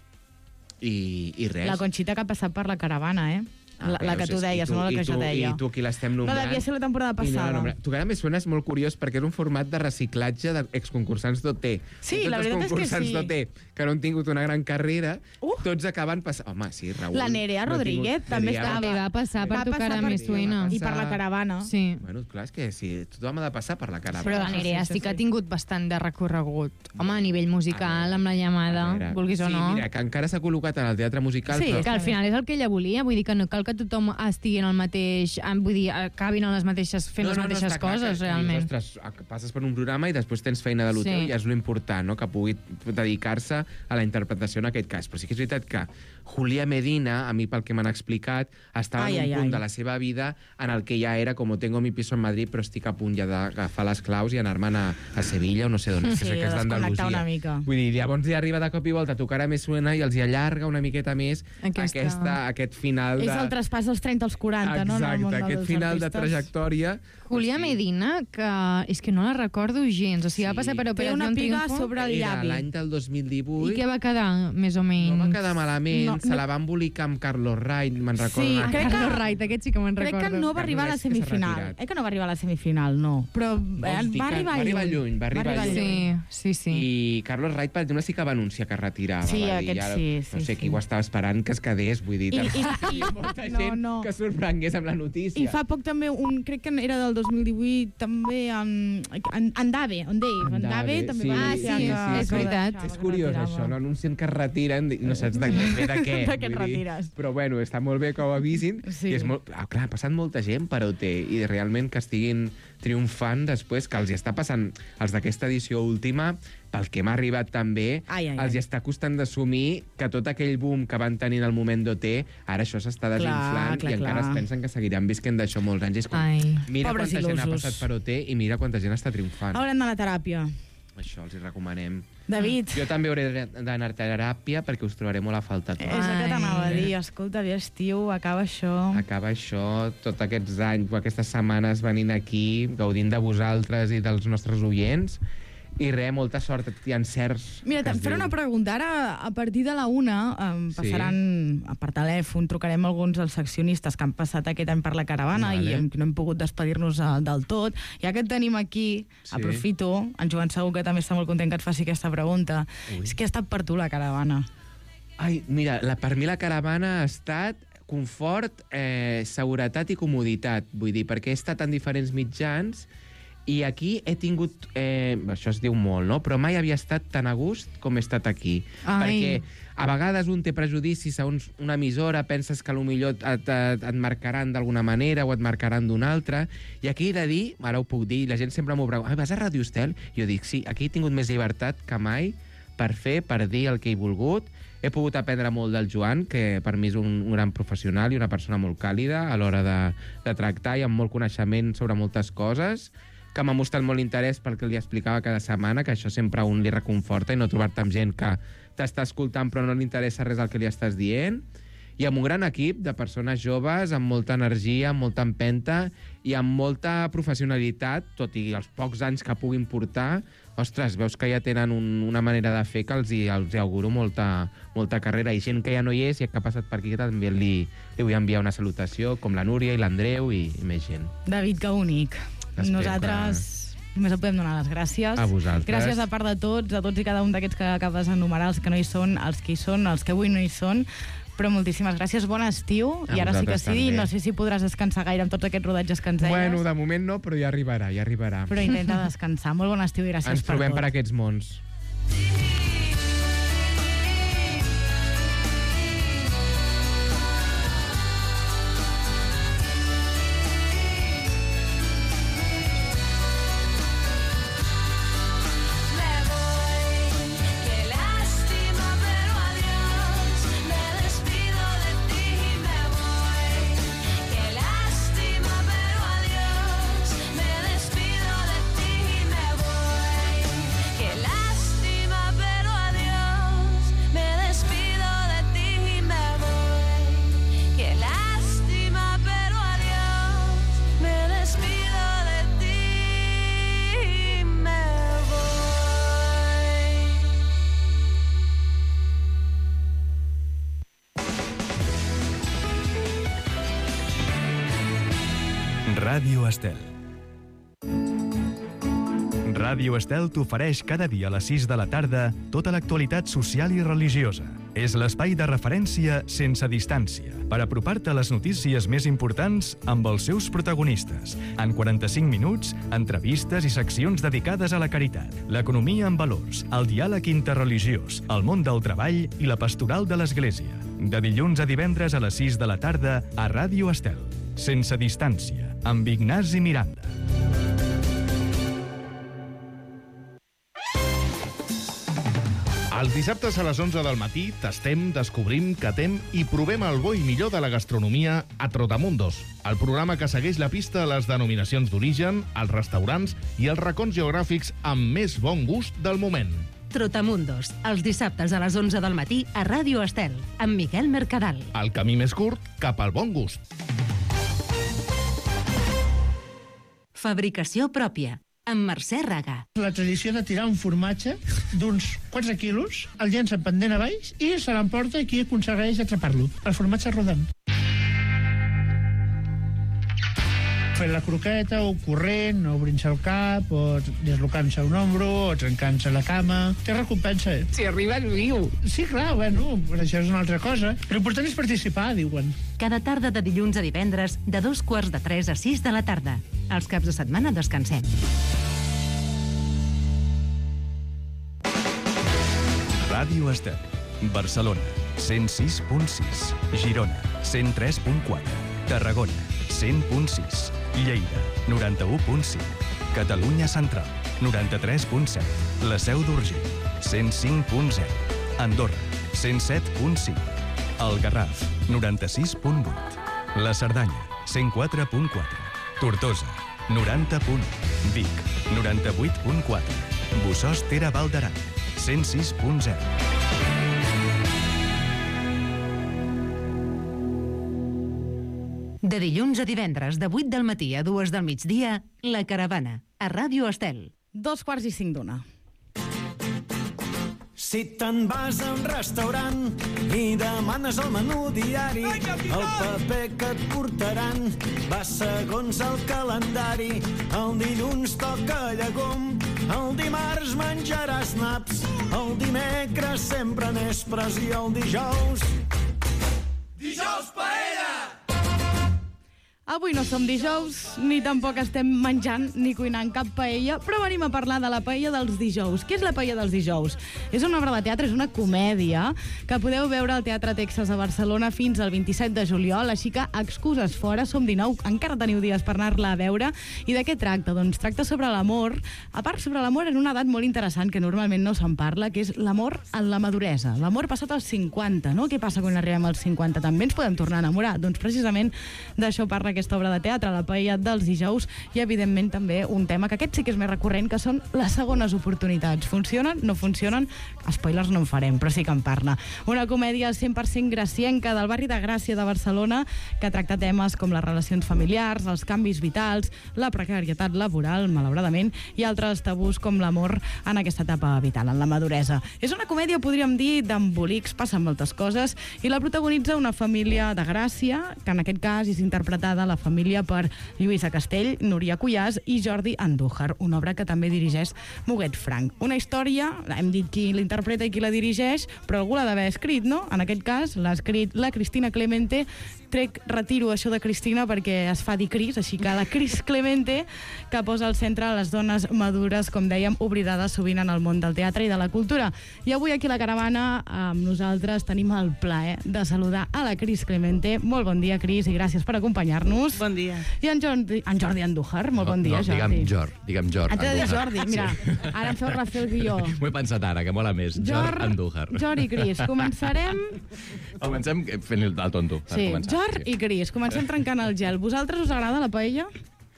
i, i res. La Conxita que ha passat per la caravana, eh? Ah, la, la que veus, tu és- i deies, tu- no la i que tu- jo deia. I tu aquí l'estem No, nombrant. devia ser la temporada I no la passada. nombra. Tocarà Me Suena és molt curiós perquè és un format de reciclatge d'exconcursants d'O T. Sí, Tots la veritat és que els concursants sí. d'O T que no han tingut una gran carrera, uh. tots acaben passant... Home, sí, Raül. La Nerea no ha Rodríguez tingut- també Nerea estava. També va passar per Va Tocarà passar Me per- Suena. I per la caravana. Sí. Bueno, clar, és que sí, tothom ha de passar per la caravana. Però la Nerea sí que ha tingut bastant de recorregut. Home, a nivell musical, amb la llamada, A veure, vulguis o sí, no. mira, que encara s'ha col·locat en el teatre musical, Sí, però... que al final és el que ella volia, vull dir que no cal que tothom estigui en el mateix... Vull dir, acabin en les mateixes, fent no, les no, mateixes no, clar, coses, que, realment. Que, ostres, passes per un programa i després tens feina de l'hotel, Sí. i és l'important, no?, que pugui dedicar-se a la interpretació en aquest cas. Però sí que és veritat que Julia Medina, a mi pel que m'han explicat, estava Ai, en un ai, punt ai. de la seva vida en el que ja era com tengo mi piso en Madrid, però estic a punt ja d'agafar les claus i anar-me'n a, a Sevilla o no sé d'on. Sí, que és desconnectar d'Andalusia. una mica. Vull dir, llavors hi arriba de cop i volta, tocar a més suena i els hi allarga una miqueta més Aquesta- aquesta, aquest final de... És el traspàs dels trenta als quaranta, no? En el món Exacte, aquest dels final de artistes. trajectòria. Julia Medina, que és que no la recordo gens. O sigui, va passar per Té Operación una piga Triunfo. sobre el Era llavi. l'any del dos mil divuit. I què va quedar, més o menys? No va quedar malament, No, no, se no. la va embolicar amb Carlos Wright, me'n recordo. Sí, una- crec que- Carlos Wright, aquest sí que me'n Crec recordo. que no va arribar a la Carlos Wright, que s'ha semifinal. retirat. Eh que no va arribar a la semifinal, no. Però eh, Vols dir va que arribar va arribar lluny, va arribar lluny. Sí, sí, sí. I Carlos Wright, per exemple, sí que va anunciar que es retirava. Sí, va dir, aquest ara, sí, No sí, sé sí. qui ho estava esperant que es quedés, vull dir... I- també i- hi ha molta no, gent no. que sorprengués amb la notícia. I fa poc també, un, crec que era del dos mil divuit, també en, en, en Dave, en Dave, en Dave també sí, va sí, anunciar sí, que, sí, que sí. ho deixava, És que curiós, retirava. això, no? Anuncien que es retiren, i no saps de, de, de què. De què et vull dir. retires. Però bueno, està molt bé que ho avisin. Sí. I és molt... Ah, clar, ha passat molta gent per O T, i realment que estiguin triomfant després, que els hi està passant, els d'aquesta edició última, pel que m'ha arribat també, Ai, ai, els hi ai. està costant d'assumir que tot aquell boom que van tenir en el moment d'O T, ara això s'està desinflant clar, i encara clar. es pensen que seguiran visquent d'això molts anys. És com, Ai. mira Pobres quanta gent ha il·lusos. passat per O T i mira quanta gent està triomfant. Haurem d'anar a teràpia. Això els hi recomanem. David. Jo també hauré d'anar a teràpia perquè us trobaré molt a falta tots. És el que t'anava a dir. Escolta, bé, estiu, acaba això. Acaba això, tots aquests anys, aquestes setmanes venint aquí, gaudint de vosaltres i dels nostres oients. I res, molta sort i encerts. Mira, que es te'n faré diu. una pregunta. Ara, a partir de la una, em Sí. passaran per telèfon, trucarem alguns dels accionistes que han passat aquest any per la caravana Vale. i hem, no hem pogut despedir-nos eh, del tot. Ja que et tenim aquí, Sí. aprofito, en Joan segur que també està molt content que et faci aquesta pregunta. Ui. És que ha estat per tu la caravana. Ai, mira, la, per mi la caravana ha estat confort, eh, seguretat i comoditat. Vull dir, perquè he estat en diferents mitjans i aquí he tingut... Eh, això es diu molt, no? Però mai havia estat tan a gust com he estat aquí. Ai. Perquè a vegades un té prejudicis segons una emissora, penses que potser et, et, et marcaran d'alguna manera o et marcaran d'una altra, i aquí he de dir, ara ho puc dir, la gent sempre m'ho pregunta, vas a Ràdio Estel? Jo dic, sí, aquí he tingut més llibertat que mai per fer, per dir el que he volgut. He pogut aprendre molt del Joan, que per mi és un, un gran professional i una persona molt càlida a l'hora de, de tractar i amb molt coneixement sobre moltes coses, que m'ha mostrat molt interès pel que li explicava cada setmana, que això sempre a un li reconforta i no trobar-te amb gent que t'està escoltant però no li interessa res el que li estàs dient, i amb un gran equip de persones joves, amb molta energia, amb molta empenta i amb molta professionalitat, tot i els pocs anys que puguin portar. Ostres, veus que ja tenen un, una manera de fer que els hi, els hi auguro molta, molta carrera. I gent que ja no hi és i que ha passat per aquí també li, li vull enviar una salutació, com la Núria i l'Andreu i, i més gent. David, que únic. Espero Nosaltres només et podem donar les gràcies. A vosaltres. Gràcies de part de tots, a tots i cada un d'aquests que acabes d'enumerar, els que no hi són, els que hi són, els que avui no hi són. Però moltíssimes gràcies, bon estiu. A I ara sí que vosaltres sí, també. no sé si podràs descansar gaire amb tots aquests rodatges que ens deies. Bueno, de moment no, però ja arribarà, ja arribarà. Però intenta descansar. Molt bon estiu i gràcies Ens per trobem tot. per aquests mons. Ràdio Estel. Ràdio Estel t'ofereix cada dia a les sis de la tarda tota l'actualitat social i religiosa. És l'espai de referència sense distància per apropar-te a les notícies més importants amb els seus protagonistes. En quaranta-cinc minuts, entrevistes i seccions dedicades a la caritat, l'economia amb valors, el diàleg interreligiós, el món del treball i la pastoral de l'Església. De dilluns a divendres a les sis de la tarda a Ràdio Estel. Sense distància, amb Ignasi Miranda. Els dissabtes a les onze del matí tastem, descobrim, catem i provem el bo i millor de la gastronomia a Trotamundos, el programa que segueix la pista a les denominacions d'origen, els restaurants i els racons geogràfics amb més bon gust del moment. Trotamundos, els dissabtes a les onze del matí a Ràdio Estel, amb Miquel Mercadal. El camí més curt cap al bon gust. Fabricació pròpia, amb Mercè Raga. La tradició de tirar un formatge d'uns quatre quilos, el llença pendent a baix i se l'emporta i qui aconsegueix atrapar-lo. El formatge rodant. Fent la croqueta, o corrent, o obrint-se el cap, o deslocant-se un ombro, o trencant-se la cama. Té recompensa. Si arribes viu. Sí, clar, bueno, però això és una altra cosa. L'important és participar, diuen. Cada tarda de dilluns a divendres, de dos quarts de tres a sis de la tarda. Els caps de setmana descansem. Ràdio Estel. Barcelona, cent sis punt sis. Girona, cent tres punt quatre. Tarragona, cent punt sis. Lleida, noranta-u punt cinc. Catalunya Central, noranta-tres punt set. La Seu d'Urgell, cent cinc punt zero. Andorra, cent set punt cinc. El Garraf, noranta-sis punt vuit. La Cerdanya, cent quatre punt quatre. Tortosa, noranta punt u. Vic, noranta-vuit punt quatre. Bossòst-Tere Val d'Aran, cent sis punt zero. De dilluns a divendres, de vuit del matí a dues del migdia, La Caravana, a Ràdio Estel. Dos quarts i cinc d'una. Si te'n vas a un restaurant i demanes el menú diari, el paper que et portaran va segons el calendari. El dilluns toca llegum, el dimarts menjaràs naps, el dimecres sempre nespres i el dijous... Dijous paella! Avui no som dijous, ni tampoc estem menjant ni cuinant cap paella, però venim a parlar de la paella dels dijous. Què és la paella dels dijous? És una obra de teatre, és una comèdia que podeu veure al Teatre Texas a Barcelona fins al vint-i-set de juliol, així que excuses fora, som dinou, encara teniu dies per anar-la a veure. I de què tracta? Doncs tracta sobre l'amor, a part sobre l'amor en una edat molt interessant que normalment no se'n parla, que és l'amor en la maduresa, l'amor passat als cinquanta, no? Què passa quan arribem als cinquanta? També ens podem tornar a enamorar? Doncs precisament d'això parla aquesta obra de teatre, la paella dels dijous, i evidentment també un tema que aquest sí que és més recurrent, que són les segones oportunitats. Funcionen? No funcionen? Spoilers no en farem, però sí que en parla. Una comèdia cent per cent gracienca del barri de Gràcia de Barcelona que tracta temes com les relacions familiars, els canvis vitals, la precarietat laboral, malauradament, i altres tabús com l'amor en aquesta etapa vital, en la maduresa. És una comèdia, podríem dir, d'embolics, passen moltes coses, i la protagonitza una família de Gràcia, que en aquest cas és interpretada la família per Lluïsa Castell, Núria Cuyàs i Jordi Andújar, una obra que també dirigeix Muguet Frank. Una història, hem dit qui l'interpreta i qui la dirigeix, però algú l'ha d'haver escrit, no? En aquest cas l'ha escrit la Cristina Clemente. Trec, retiro això de Cristina perquè es fa dir Cris, així que la Cris Clemente, que posa al centre les dones madures, com dèiem, oblidades sovint en el món del teatre i de la cultura. I avui aquí a la Caravana amb nosaltres tenim el plaer de saludar a la Cris Clemente. Molt bon dia, Cris, i gràcies per acompanyar-nos. Bon dia. I en Jordi, en Jordi Andújar, molt no, bon dia, no, Jordi. Digue'm Jor, digue'm Jor. Haig de dir Jordi, mira, sí. Ara em feu refer el guió. M'ho he pensat ara, que mola més. Jor, Jor Andújar. Jor i Cris, començarem... Comencem fent el tonto. Sí, Jor i Cris, comencem trencant el gel. Vosaltres us agrada la paella?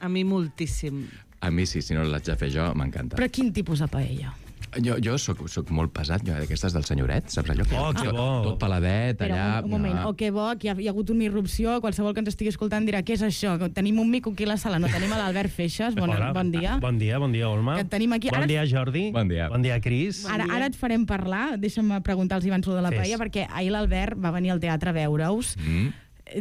A mi moltíssim. A mi sí, si no l'haig de fer jo, m'encanta. Però quin tipus de paella? Jo, jo soc, soc molt pesat, jo, d'aquestes del senyoret, saps allò? Que oh, que bo! Tot paladet, Però, allà... un, un moment, no. Oh, que bo, que hi ha, hi ha hagut una irrupció, qualsevol que ens estigui escoltant dirà, què és això? Tenim un mico aquí a la sala, no tenim l'Albert Feixes, bon, Hola. bon dia. Bon dia, bon dia, Olma. Que et tenim aquí. Bon Ara... dia, Jordi. Bon dia. Bon dia, Cris. Ara, ara et farem parlar, deixa'm preguntar-los abans de la Fes. paella, perquè ahir l'Albert va venir al teatre a veure-us. Mm.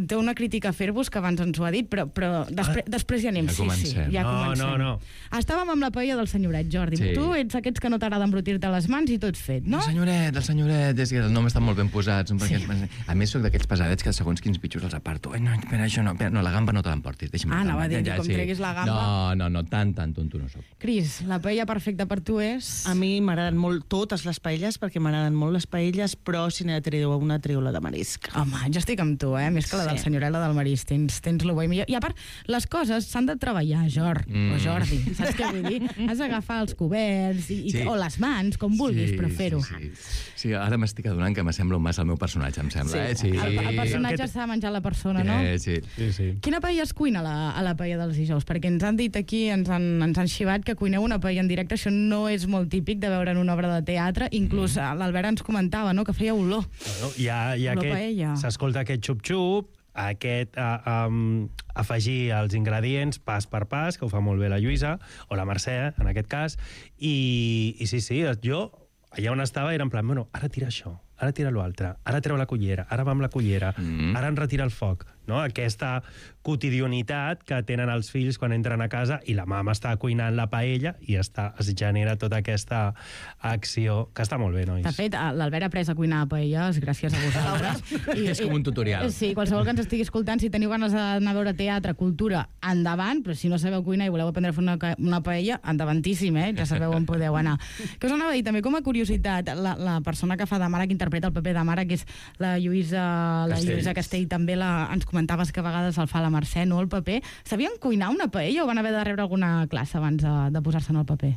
té una crítica a fer-vos, que abans ens ho ha dit, però, però després, ah, després ja anem. Ja sí, comencem. sí, ja no, comencem. no, no. Estàvem amb la paella del senyoret, Jordi. Sí. Tu ets aquests que no t'agrada embrutir-te les mans i tot fet, no? El senyoret, el senyoret, és que els noms estan molt ben posats. Sí. A més, soc d'aquells pesadets que segons quins bitxos els aparto. Ai, no, espera, això no, espera, no, la gamba no te l'emportis. Deixa'm Ah, la anava a gamba. dir, com treguis la gamba. No, no, no, tan, tan tonto no soc. Cris, la paella perfecta per tu és... A mi m'agraden molt totes les paelles, perquè m'agraden molt les paelles, però si n'he de treure una, treu la de marisc. Home, jo estic amb tu, eh? Més que la del Sí. senyoret, la del marisc. Tens, tens lo bo i millor. I a part, les coses s'han de treballar, Jor, Mm. o Jordi. Saps què vull dir? Has d'agafar els coberts i, i, Sí. o les mans, com vulguis, Sí, però fer-ho. Sí, sí. sí, ara m'estic adonant que m'assembla un massa al meu personatge, em sembla. Eh? Sí. El, el personatge s'ha de menjar la persona, no? Eh, sí. Sí, sí. Quina paella es cuina a la, a la paella dels dijous? Perquè ens han dit aquí, ens han, ens han xivat que cuineu una paella en directe. Això no és molt típic de veure en una obra de teatre. Inclús mm. l'Albert ens comentava, no?, que feia olor. Bueno, hi ha, hi ha Olor aquest, paella. s'escolta aquest xup-xup, aquest uh, um, afegir els ingredients pas per pas, que ho fa molt bé la Lluïsa, o la Mercè, en aquest cas, i, i sí, sí, jo allà on estava era en plan, bueno, ara tira això, ara tira l'altre, ara treu la cullera, ara va amb la cullera, mm. ara en retira el foc, no? Aquesta quotidianitat que tenen els fills quan entren a casa i la mama està cuinant la paella i està, es genera tota aquesta acció, que està molt bé, nois. De fet, l'Albert ha après a cuinar paelles gràcies a vosaltres. I, És com un tutorial. Sí, qualsevol que ens estigui escoltant, si teniu ganes d'anar a veure teatre, cultura, endavant, però si no sabeu cuinar i voleu aprendre a fer una, una paella, endavantíssim, eh? Ja sabeu on podeu anar. Que us anava a dir, també com a curiositat, la, la persona que fa de mare, que interpreta el paper de mare, que és la Lluïsa, la Castell. Lluïsa Castell, també la, ens comentaves que a vegades el fa la Mercè, no, el paper. Sabien cuinar una paella o van haver de rebre alguna classe abans de, de posar-se en el paper?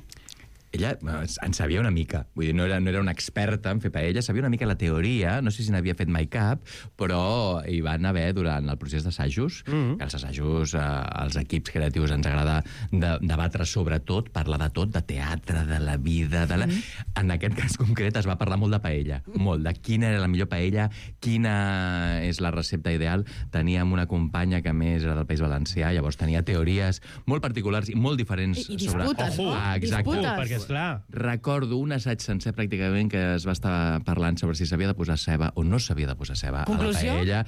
Ella eh, en sabia una mica, vull dir, no era, no era una experta en fer paella, sabia una mica la teoria, no sé si n'havia fet mai cap, però hi van haver durant el procés d'assajos, mm-hmm. que els assajos, eh, els equips creatius ens agrada de, debatre sobre tot, parlar de tot, de teatre, de la vida, de la... Mm-hmm. En aquest cas concret es va parlar molt de paella, molt, de quina era la millor paella, quina és la recepta ideal. Teníem una companya que a més era del País Valencià, llavors tenia teories molt particulars i molt diferents I, i sobre... disputes, Ojo, no? ah, exacte. Disputes. Perquè, esclar, Recordo un assaig sencer pràcticament que es va estar parlant sobre si s'havia de posar ceba o no s'havia de posar ceba Conclusió? a la paella.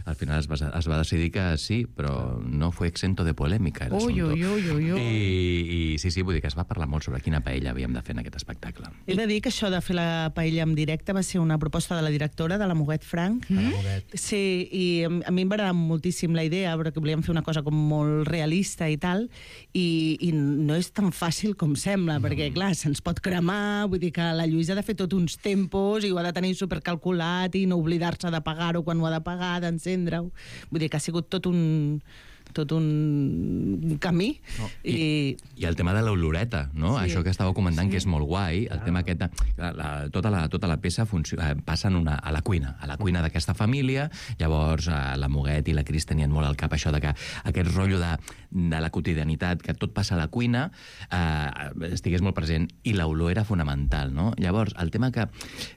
Al final es va, es va decidir que sí, però no fue exento de polèmica el Ui, asunto. ui, ui, ui, ui. I, I sí, sí, vull dir que es va parlar molt sobre quina paella havíem de fer en aquest espectacle. He de dir que això de fer la paella en directe va ser una proposta de la directora, de la Moguet Frank. Mm? Sí, i a mi em va agradar moltíssim la idea, però que volíem fer una cosa com molt realista i tal, i, i no és tan fàcil com sembla, mm. perquè, clar, se'ns pot cremar, vull dir que la Lluïsa ha de fer tot uns tempos i ho ha de tenir supercalculat i no oblidar-se de pagar-ho quan ho ha de pagar, d'encendre-ho. Vull dir que ha sigut tot un tot un camí. No, i... I, I el tema de l'oloreta, no? Sí. Això que estàveu comentant, Sí. que és molt guai, el Ah. tema aquest... De, la, la, tota, la, tota la peça funciona, passa en una, a la cuina, a la cuina d'aquesta família, llavors eh, la Moguet i la Cris tenien molt al cap això de que aquest rotllo de, de la quotidianitat, que tot passa a la cuina, eh, estigués molt present, i l'olor era fonamental, no? Llavors, el tema que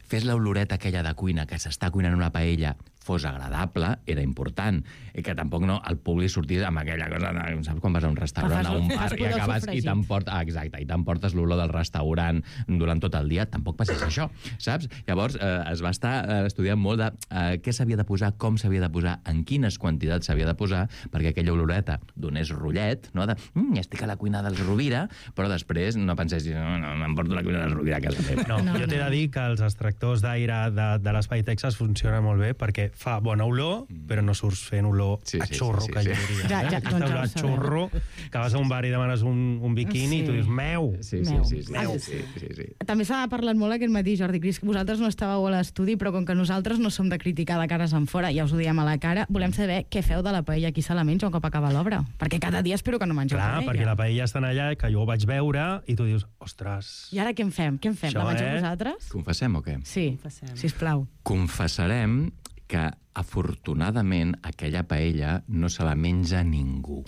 fes l'oloreta aquella de cuina, que s'està cuinant una paella, fos agradable, era important, i que tampoc no el públic sortís amb aquella cosa de, saps quan vas a un restaurant, Fas- a un fas bar, i cuidar el acabes i sofregit. t'emportes, ah, exacte, i t'emportes l'olor del restaurant durant tot el dia, tampoc passés això, saps? Llavors eh, es va estar eh, estudiant molt de eh, què s'havia de posar, com s'havia de posar, en quines quantitats s'havia de posar, perquè aquella oloreta donés rotllet, no? De, mm, estic a la cuina dels Rovira, però després no pensessis, no, no, m'emporto la cuina dels Rovira a casa meva. No, no, jo t'he de dir que els extractors d'aire de, de l'Espai Texas funcionen molt bé perquè fa bona olor, però no surts fent olor Sí, a sí, xurro, sí, sí, que sí. jo diria. Ja, ja, Aquesta doncs ja ho olor a sabem. xurro, que vas a un bar i demanes un, un biquini Sí. i tu dius, meu! Sí, sí, Meu. sí, sí, Ah, sí, sí, sí, sí. També s'ha parlat molt aquest matí, Jordi Cris, que vosaltres no estàveu a l'estudi, però com que nosaltres no som de criticar de cares en fora, ja us ho diem a la cara, volem saber què feu de la paella, qui se la menja un cop acaba l'obra. Perquè cada dia espero que no mengeu Clar, paella. perquè la paella està allà, que jo ho vaig veure, i tu dius, ostres... I ara què en fem? Què en fem? Això, la mengeu eh? vosaltres? Confessem o què? Sí, Confessem. sisplau. Confessarem que, afortunadament, aquella paella no se la menja ningú.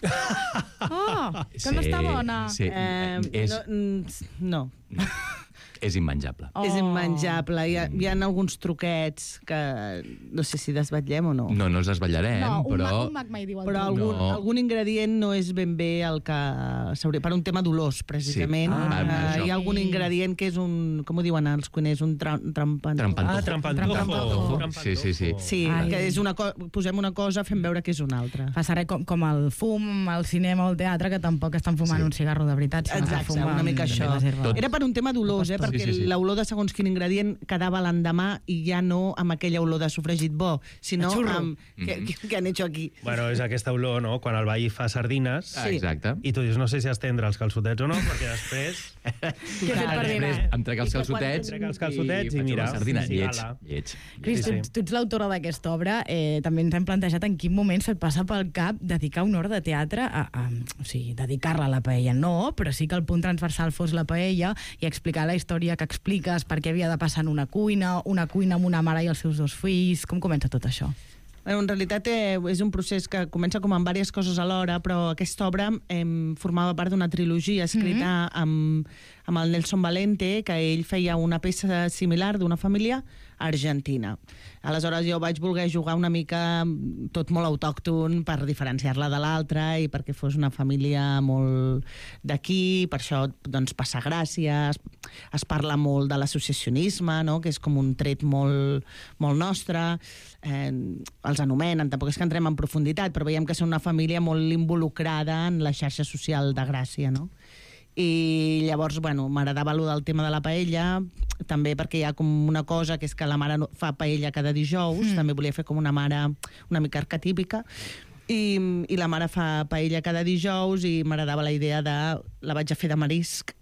Oh, que no està bona. Sí, Eh, és... no, mm, no. És immenjable. Oh. És immenjable. Hi ha, hi ha alguns truquets que no sé si desvetllem o no. No, no els desvetllarem, No, un, però... ma, un mag mai diu el Però truc. algun, No. algun ingredient no és ben bé el que s'hauria... Per un tema d'olors, precisament. Sí. Ah, eh, això. hi ha algun ingredient que és un... Com ho diuen els cuiners? Un tra trampantojo. Trampantojo. Ah, trampantojo. Sí, sí, sí. Sí, Ai. que és una co posem una cosa, fem veure que és una altra. Passa res com, com el fum, el cinema o el teatre, que tampoc estan fumant Sí. un cigarro de veritat. sinó que Exacte, fumen una mica això. les herbes. Era per un tema d'olors, eh? Perquè Sí, sí, sí. l'olor de segons quin ingredient quedava l'endemà i ja no amb aquella olor de sofregit bo, sinó A xurro. amb... Què, què, què han hecho aquí? Bueno, és aquesta olor, no?, quan el veí fa sardines... Sí. Exacte. I tu dius, no sé si estendre els calçotets o no, perquè després... Què he fet per dinar? Després em trec els I que quan- calçotets, Trec els calçotets i faig mira, una sardina. sí, Lleig, ala. lleig. Cris, Sí, sí. tu, tu ets l'autora d'aquesta obra. Eh, també ens hem plantejat en quin moment se't passa pel cap dedicar una hora de teatre a... a o sigui, dedicar-la a la paella no, però sí que el punt transversal fos la paella i explicar la història que expliques, per què havia de passar en una cuina, una cuina amb una mare i els seus dos fills... Com comença tot això? Bueno, en realitat eh, és un procés que comença com amb diverses coses alhora, però aquesta obra eh, formava part d'una trilogia escrita mm -hmm. amb, amb el Nelson Valente, que ell feia una peça similar d'una família argentina. Aleshores jo vaig voler jugar una mica tot molt autòcton per diferenciar-la de l'altra i perquè fos una família molt d'aquí, per això doncs, passa gràcia, es, es parla molt de l'associacionisme, no? Que és com un tret molt, molt nostre, eh, els anomenen, tampoc és que entrem en profunditat, però veiem que són una família molt involucrada en la xarxa social de Gràcia, no? I llavors, bueno, m'agradava allò del tema de la paella, també perquè hi ha com una cosa que és que la mare no- fa paella cada dijous, mm. també volia fer com una mare una mica arquetípica, i, i la mare fa paella cada dijous i m'agradava la idea de... la vaig a fer de marisc,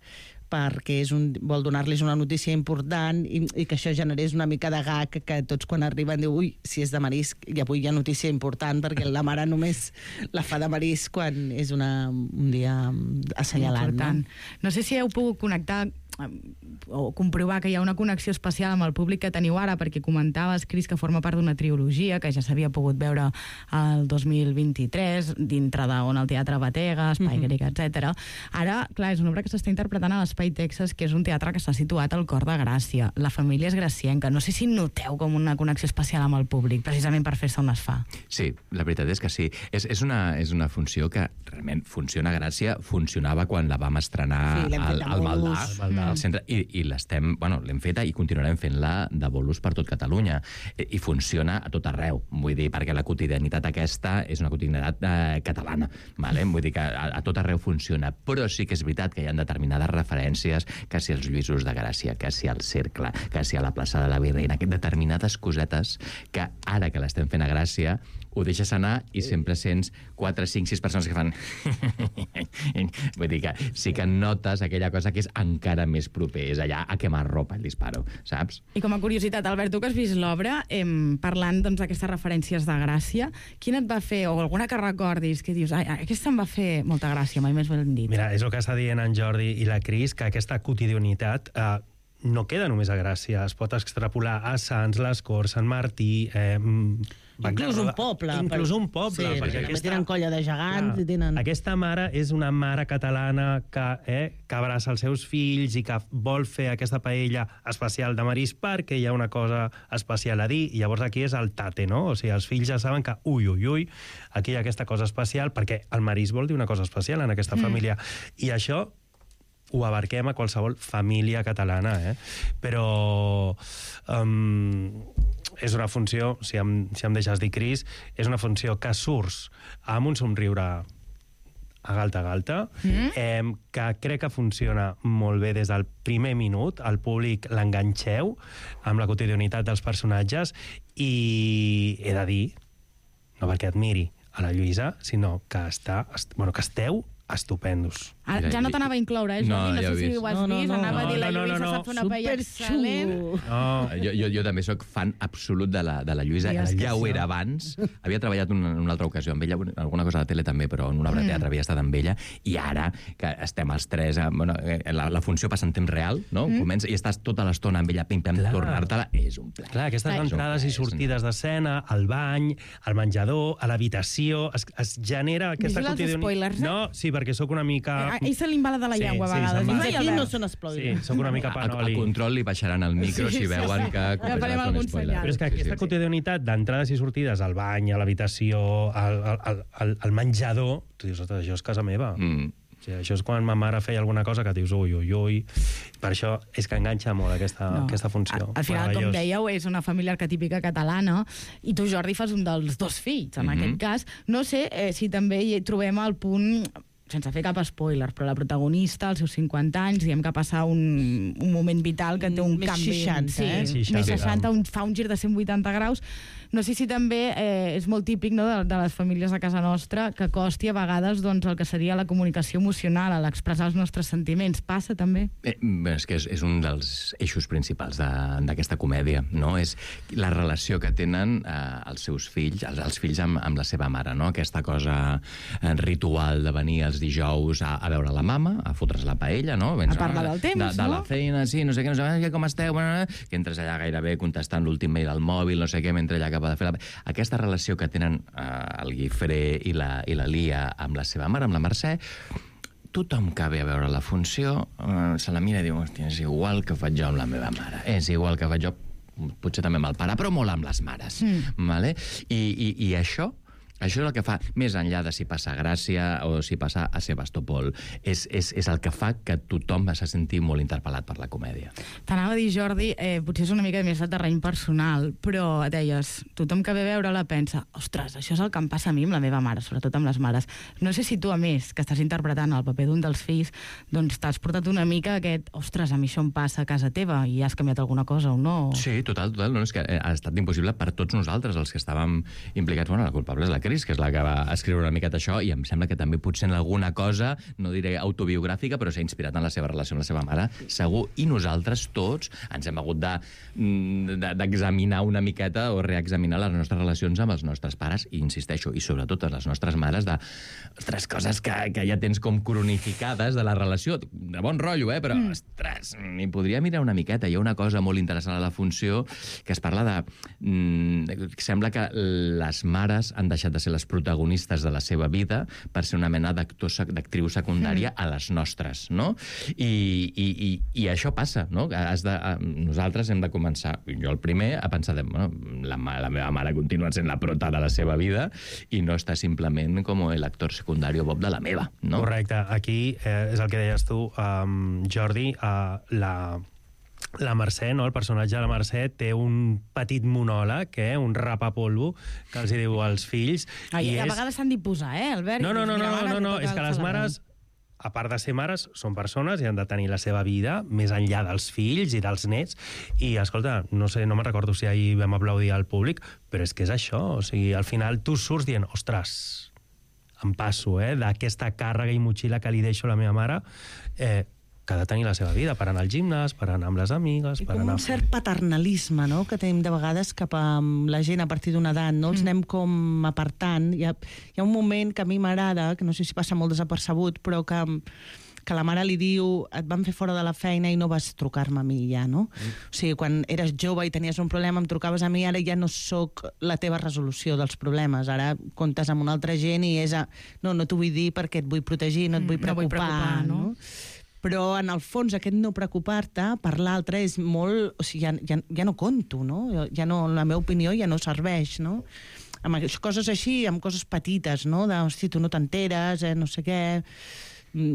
perquè és un, vol donar-los una notícia important i, i que això generés una mica de gag que tots quan arriben diu, ui, si és de marisc i avui hi ha notícia important perquè la mare només la fa de marisc quan és una, un dia assenyalant. Important. No? No sé si heu pogut connectar eh, o comprovar que hi ha una connexió especial amb el públic que teniu ara, perquè comentaves, Cris, que forma part d'una trilogia que ja s'havia pogut veure el dos mil vint-i-tres, dintre d'on el Teatre Batega, Espai Mhm. Grec, etcètera. Ara, clar, és una obra que s'està interpretant a l'Espai Texas, que és un teatre que està situat al cor de Gràcia. La família és gracienca. No sé si noteu com una connexió especial amb el públic, precisament per fer-se on es fa. Sí, la veritat és que sí. És, és, una, és una funció que realment funciona a Gràcia, funcionava quan la vam estrenar Sí, l'hem al, fet de al Maldà, bolos. al, al centre, i, i l'estem, bueno, l'hem feta i continuarem fent-la de bolos per tot Catalunya. I, I funciona a tot arreu, vull dir, perquè la quotidianitat aquesta és una quotidianitat eh, catalana, vale? Vull dir que a, a tot arreu funciona, però sí que és veritat que hi ha determinades referències, que si els Lluïsos de Gràcia, que si al Cercle, que si a la plaça de la Virreina, que determinades cosetes que ara que l'estem fent a Gràcia ho deixes anar i sempre sents quatre, cinc, sis persones que fan... Vull dir que sí que notes aquella cosa que és encara més proper, és allà a quemar ropa el disparo, saps? I com a curiositat, Albert, tu que has vist l'obra, eh, parlant doncs, d'aquestes referències de Gràcia, quina et va fer, o alguna que recordis, que dius, ai, aquesta em va fer molta gràcia, mai més ben dit. Mira, és el que està dient en Jordi i la Cris, que aquesta quotidianitat eh, no queda només a Gràcia, es pot extrapolar a Sants, les Corts, Sant Martí... Eh, Inclús un poble. Inclús per- un poble. Sí, perquè aquesta, tenen colla de gegants clar, i tenen... Aquesta mare és una mare catalana que, eh, que abraça els seus fills i que vol fer aquesta paella especial de marisc perquè hi ha una cosa especial a dir, i llavors aquí és el tate, no? O sigui, els fills ja saben que, ui, ui, ui, aquí hi ha aquesta cosa especial, perquè el marisc vol dir una cosa especial en aquesta Mm. família. I això ho abarquem a qualsevol família catalana, eh? Però um, és una funció, si em, si em deixes dir, Cris, és una funció que surts amb un somriure a galta a galta, mm. eh, que crec que funciona molt bé des del primer minut, el públic l'enganxeu amb la quotidianitat dels personatges, i he de dir, no perquè admiri a la Lluïsa, sinó que, està, est, bueno, que esteu estupendos. Ara, ja no t'anava a incloure, eh, Jordi? No, No, ja sé ho he si vist. ho has No, no, vist. no. Anava a dir, la No, no, Lluïsa no, no. sap fer una paella excel·lent. No. Jo, jo, jo també sóc fan absolut de la, de la Lluïsa. Digues que Ja ho sí. era abans. Havia treballat una, en una altra ocasió amb ella, alguna cosa a la tele també, però en una obra de teatre havia estat amb ella. I ara, que estem els tres... eh, Bueno, eh, la, la funció passa en temps real, no? Mm. Comença i estàs tota l'estona amb ella, pim-pam, tornar-te-la, és un plaer. Clar, aquestes Clar. entrades i sortides d'escena, al bany, al menjador, a l'habitació, es, es genera aquesta Vigila els quotidianitat. spoilers, eh? No, sí, perquè sóc una mica ell se li embala de la llengua a vegades. Fins I aquí ja no veus. són spoilers. Sí, soc una mica A, panoli. a control li baixaran el micro Sí, si sí, veuen sí. que... Ja farem algun senyal. Però és que aquesta quotidianitat d'entrades i sortides al bany, a l'habitació, al, al, al, al menjador, tu dius, ostres, això és casa meva. Mm. O sigui, això és quan ma mare feia alguna cosa que dius, ui, ui, ui. Per això és que enganxa molt aquesta, No. aquesta funció. Al final, com Meravellós. dèieu, és una família arquetípica catalana i tu, Jordi, fas un dels dos fills, en Mhm. aquest cas. No sé eh, si també hi trobem el punt, sense fer cap spoiler, però la protagonista, als seus cinquanta anys, diem que passa un, un moment vital que té un Més canvi... seixanta, sí, eh? més seixanta, un, fa un gir de cent vuitanta graus. No sé si també eh, és molt típic, no, de, de les famílies de casa nostra que costi a vegades doncs, el que seria la comunicació emocional, a l'expressar els nostres sentiments. Passa també? Eh, bé, és que és, és un dels eixos principals de- d'aquesta comèdia, no? És la relació que tenen eh, els seus fills, els, els fills amb, amb la seva mare, no? Aquesta cosa eh, ritual de venir els dijous a, a veure la mama, a fotre's la paella, no? Vens, A parlar del temps, de, de no? la feina, sí, no sé què, no sé què, com esteu, bueno, que entres allà gairebé contestant l'últim mail al mòbil, no sé què, mentre ella acaba de fer la... Aquesta relació que tenen eh, el Guifré i la, i la Lia amb la seva mare, amb la Mercè, tothom que ve a veure la funció eh, se la mira i diu, hòstia, és igual que faig jo amb la meva mare, és igual que faig jo, potser també amb el pare, però molt amb les mares. Mm. Vale? I, i, I això, això és el que fa, més enllà de si passa a Gràcia o si passa a Sebastopol, és, és, és el que fa que tothom se senti molt interpel·lat per la comèdia. T'anava a dir, Jordi, eh, potser és una mica més de terreny personal, però deies, tothom que ve a veure-la pensa, ostres, això és el que em passa a mi amb la meva mare, sobretot amb les mares. No sé si tu, a més, que estàs interpretant el paper d'un dels fills, doncs t'has portat una mica aquest, ostres, a mi això em passa a casa teva i has canviat alguna cosa o no? Sí, total, total. No, és que ha estat impossible per tots nosaltres, els que estàvem implicats. Bueno, la culpable és la Cris, que és la que va escriure una miqueta això, i em sembla que també potser en alguna cosa, no diré autobiogràfica, però s'ha inspirat en la seva relació amb la seva mare, segur. I nosaltres tots ens hem hagut de, de, d'examinar una miqueta o reexaminar les nostres relacions amb els nostres pares, i insisteixo, i sobretot les nostres mares, de ostres, coses que, que ja tens com cronificades de la relació. De bon rotllo, eh? Però, mm. ostres, m'hi podria mirar una miqueta. Hi ha una cosa molt interessant a la funció que es parla de... Mm, sembla que les mares han deixat de ser les protagonistes de la seva vida per ser una mena d'actor, d'actriu secundària mm. a les nostres, no? I, i, i, i això passa, no? Has de, nosaltres hem de començar, jo el primer, a pensar de, bueno, la, la meva mare continua sent la prota de la seva vida i no està simplement com el actor secundari Bob de la meva, no? Correcte. Aquí eh, és el que deies tu, um, Jordi, uh, la... La Mercè, no? El personatge de la Mercè té un petit monòleg, eh? Un rapapolvo, que els hi diu als fills. Ai, i a és... vegades s'han d'imposar, eh, Albert? No, no, no, no, no, no, no. és que les mares, celebrar. a part de ser mares, són persones i han de tenir la seva vida més enllà dels fills i dels nets. I, escolta, no sé, no me'n recordo si ahir vam aplaudir al públic, però és que és això. O sigui, al final tu surts dient, ostres, em passo, eh, d'aquesta càrrega i motxilla que li deixo a la meva mare, eh, que ha de tenir la seva vida, per anar al gimnàs, per anar amb les amigues, I per com anar... un cert paternalisme, no?, que tenim de vegades cap a la gent a partir d'una edat, no? Els Mm. anem com apartant. Hi ha, hi ha un moment que a mi m'agrada, que no sé si passa molt desapercebut, però que, que la mare li diu, et van fer fora de la feina i no vas trucar-me a mi ja, no? Mm. O sigui, quan eres jove i tenies un problema, em trucaves a mi, ara ja no sóc la teva resolució dels problemes. Ara comptes amb una altra gent i és a... No, no t'ho vull dir perquè et vull protegir, no et vull Mm, no vull preocupar, preocupar, no? no? Però, en el fons, aquest no preocupar-te per l'altre és molt... O sigui, ja, ja, ja no conto, no? Ja no, la meva opinió ja no serveix, no? Amb coses així, amb coses petites, no? De, hosti, tu no t'enteres, eh, no sé què...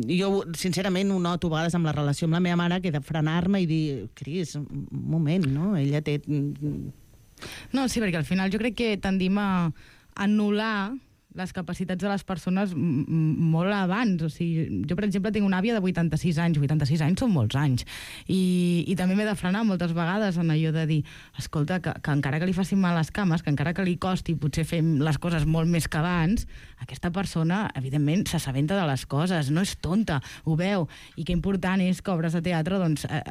Jo, sincerament, ho noto a vegades amb la relació amb la meva mare, que he de frenar-me i dir, Cris, un moment, no? Ella té... No, sí, perquè al final jo crec que tendim a anul·lar les capacitats de les persones m- m- molt abans. O sigui, jo, per exemple, tinc una àvia de vuitanta-sis anys. vuitanta-sis anys són molts anys. I, i també m'he de frenar moltes vegades en allò de dir, escolta, que, que encara que li facin mal les cames, que encara que li costi potser fer les coses molt més que abans, aquesta persona, evidentment, s'assabenta de les coses, no és tonta, ho veu. I que important és que obres de teatre, doncs, eh,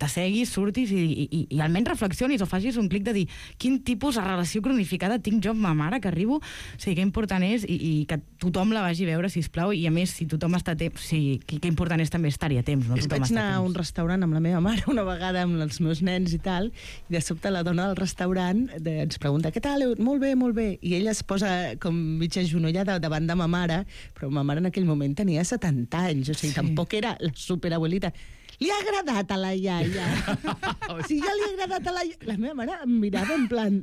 t'asseguis, surtis i, i, i almenys reflexionis o facis un clic de dir quin tipus de relació cronificada tinc jo amb ma mare, que arribo... O sigui, que important és i, i que tothom la vagi a veure, sisplau, i a més, si tothom està a temps, sí, que, que important és també estar-hi a temps, no? Tothom Vaig està anar a un restaurant amb la meva mare una vegada amb els meus nens i tal, i de sobte la dona del restaurant de, ens pregunta, què tal? Molt bé, molt bé. I ella es posa com mitja genollada davant de ma mare, però ma mare en aquell moment tenia setanta anys, o sigui, sí. Tampoc era la superabuelita. Li ha agradat a la iaia. Si ja li ha agradat a la iaia... La meva mare em mirava en plan...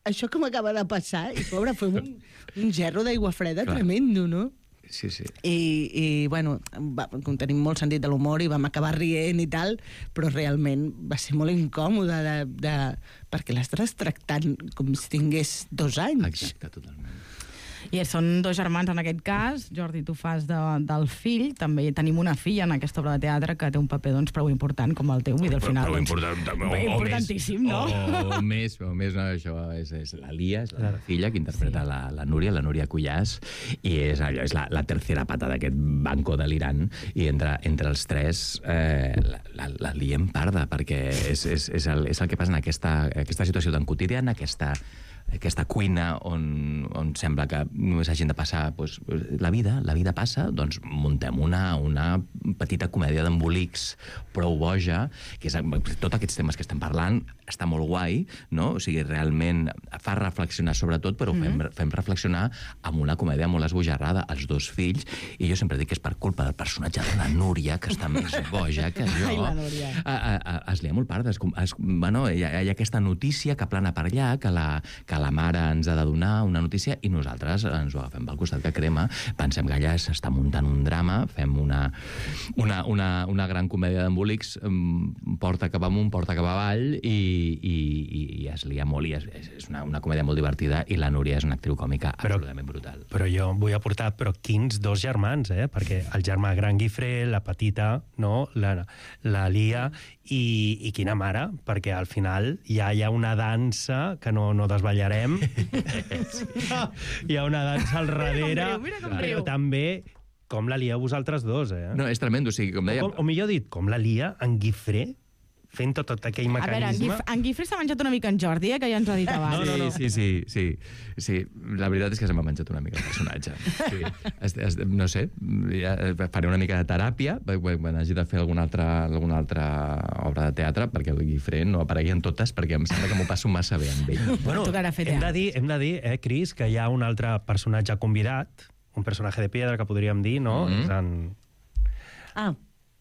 Això que m'acaba de passar, i pobra, fue un, un gerro d'aigua freda Clar. tremendo, no? Sí, sí. I, i bueno, va, tenim molt sentit de l'humor i vam acabar rient i tal, però realment va ser molt incòmode de, de, perquè l'estàs tractant com si tingués dos anys. Exacte, totalment. I són dos germans en aquest cas. Jordi, tu fas de, del fill. També tenim una filla en aquesta obra de teatre que té un paper doncs, prou important com el teu. I al final, Prou doncs, important, o, o importantíssim, més, no? O, o més, o més, no, això és, és la Lia, és la filla que interpreta sí. la, la Núria, la Núria Cuyàs, i és, allò, és la, la tercera pata d'aquest banco delirant, i entre, entre els tres eh, la, la, la liem parda, perquè és, és, és, el, és el que passa en aquesta, aquesta situació tan quotidiana, aquesta aquesta cuina on, on sembla que només hagin de passar doncs, la vida, la vida passa, doncs muntem una, una petita comèdia d'embolics prou boja, que és tots aquests temes que estem parlant, està molt guai, no? O sigui, realment fa reflexionar sobre tot, però fem, mm-hmm. fem reflexionar amb una comèdia molt esbojarrada, els dos fills, i jo sempre dic que és per culpa del personatge de la Núria, que està més boja que jo. Ai, la Núria. A, a, a, es lia molt part. Es, es, bueno, hi, ha, hi ha aquesta notícia que plana per allà, que la, que la mare ens ha de donar una notícia i nosaltres ens ho agafem pel costat que crema, pensem que allà s'està muntant un drama, fem una, una, una, una gran comèdia d'embolics, porta cap amunt, porta cap avall, i, i, i, i es lia molt, i és, és una, una comèdia molt divertida, i la Núria és una actriu còmica però, absolutament brutal. Però jo vull aportar, però quins dos germans, eh? Perquè el germà gran Guifré, la petita, no? la, la Lia, i, i quina mare, perquè al final ja hi ha una dansa que no, no desballarem. Hi ha una dansa al darrere, però també com la lieu vosaltres dos, eh? No, és tremendo, o sigui, com deia... O, o millor dit, com la lia en Guifré, fent tot, tot aquell mecanisme... A veure, en, Guif en Guifré s'ha menjat una mica en Jordi, eh, que ja ens ha dit abans. No, no, no. Sí, sí, sí, sí. La veritat és que se m'ha menjat una mica el personatge. Sí. Es, es, no sé, ja faré una mica de teràpia quan hagi de fer alguna altra, alguna altra obra de teatre, perquè el Guifré no aparegui en totes, perquè em sembla que m'ho passo massa bé amb ell. Bueno, hem de dir, hem de dir eh, Cris, que hi ha un altre personatge convidat, un personatge de piedra que podríem dir, no? Mm-hmm. És en... Ah,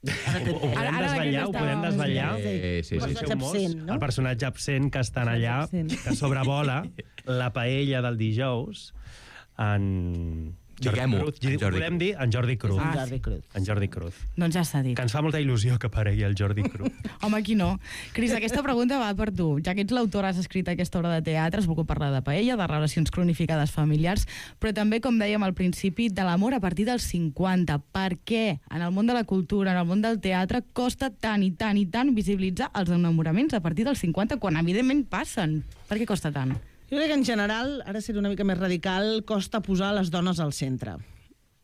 Ho, ho podem desvetllar, ho podem desvetllar. Sí, sí, sí. sí. Absent, no? El personatge absent que estan allà, que sobrevola la paella del dijous en... Diguem-ho, Jordi Cruz. Podem dir en Jordi Cruz. En Jordi Cruz. En Jordi Cruz. Doncs ja s'ha dit. Que ens fa molta il·lusió que aparegui el Jordi Cruz. Home, aquí no. Cris, aquesta pregunta va per tu. Ja que ets l'autora, has escrit aquesta obra de teatre, has volgut parlar de paella, de relacions cronificades familiars, però també, com dèiem al principi, de l'amor a partir dels cinquanta. Per què en el món de la cultura, en el món del teatre, costa tant i tant i tant visibilitzar els enamoraments a partir dels cinquanta, quan evidentment passen? Per què costa tant? Jo crec que en general, ara ser una mica més radical, costa posar les dones al centre.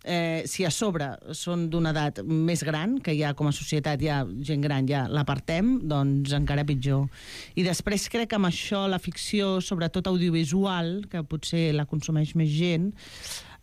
Eh, si a sobre són d'una edat més gran, que ja com a societat ja gent gran ja l'apartem, doncs encara pitjor. I després crec que amb això la ficció, sobretot audiovisual, que potser la consumeix més gent,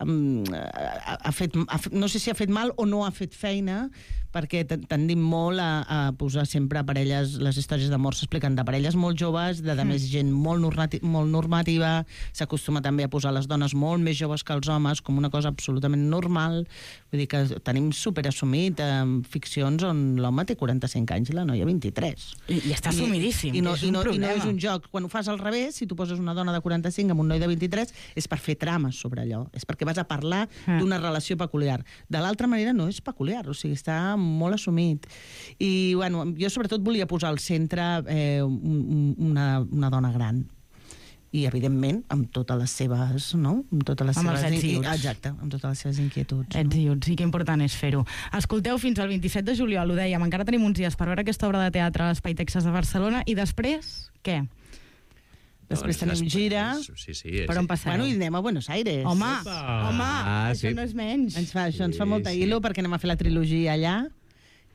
um, ha, ha fet, ha, no sé si ha fet mal o no ha fet feina, perquè tendim molt a, a posar sempre parelles, les històries d'amor s'expliquen de parelles molt joves, de, de mm. més gent molt, normati, molt normativa, s'acostuma també a posar les dones molt més joves que els homes com una cosa absolutament normal, vull dir que tenim superassumit eh, ficcions on l'home té quaranta-cinc anys i la noia vint-i-tres. I, i està assumidíssim, I, i, no, és i, no, un i no és problema. un joc. Quan ho fas al revés, si tu poses una dona de quaranta-cinc amb un noi de vint-i-tres, és per fer trames sobre allò, és perquè vas a parlar Ah. d'una relació peculiar. De l'altra manera no és peculiar, o sigui, està molt assumit. I, bueno, jo sobretot volia posar al centre eh, una, una dona gran. I, evidentment, amb totes les seves... No? Amb totes les amb seves els ets i uts. Exacte, amb totes les seves inquietuds. Ets i uts, i que important és fer-ho. Escolteu, fins al vint-i-set de juliol, ho dèiem, encara tenim uns dies per veure aquesta obra de teatre a l'Espai Texas de Barcelona, i després, què? Després tenim gira. Sí, sí. Per on passareu? Bueno, i anem a Buenos Aires. Home, Opa. home, Ah, això sí. no és menys. Ens fa, això ens fa Sí, molta sí. il·lu perquè anem a fer la trilogia allà,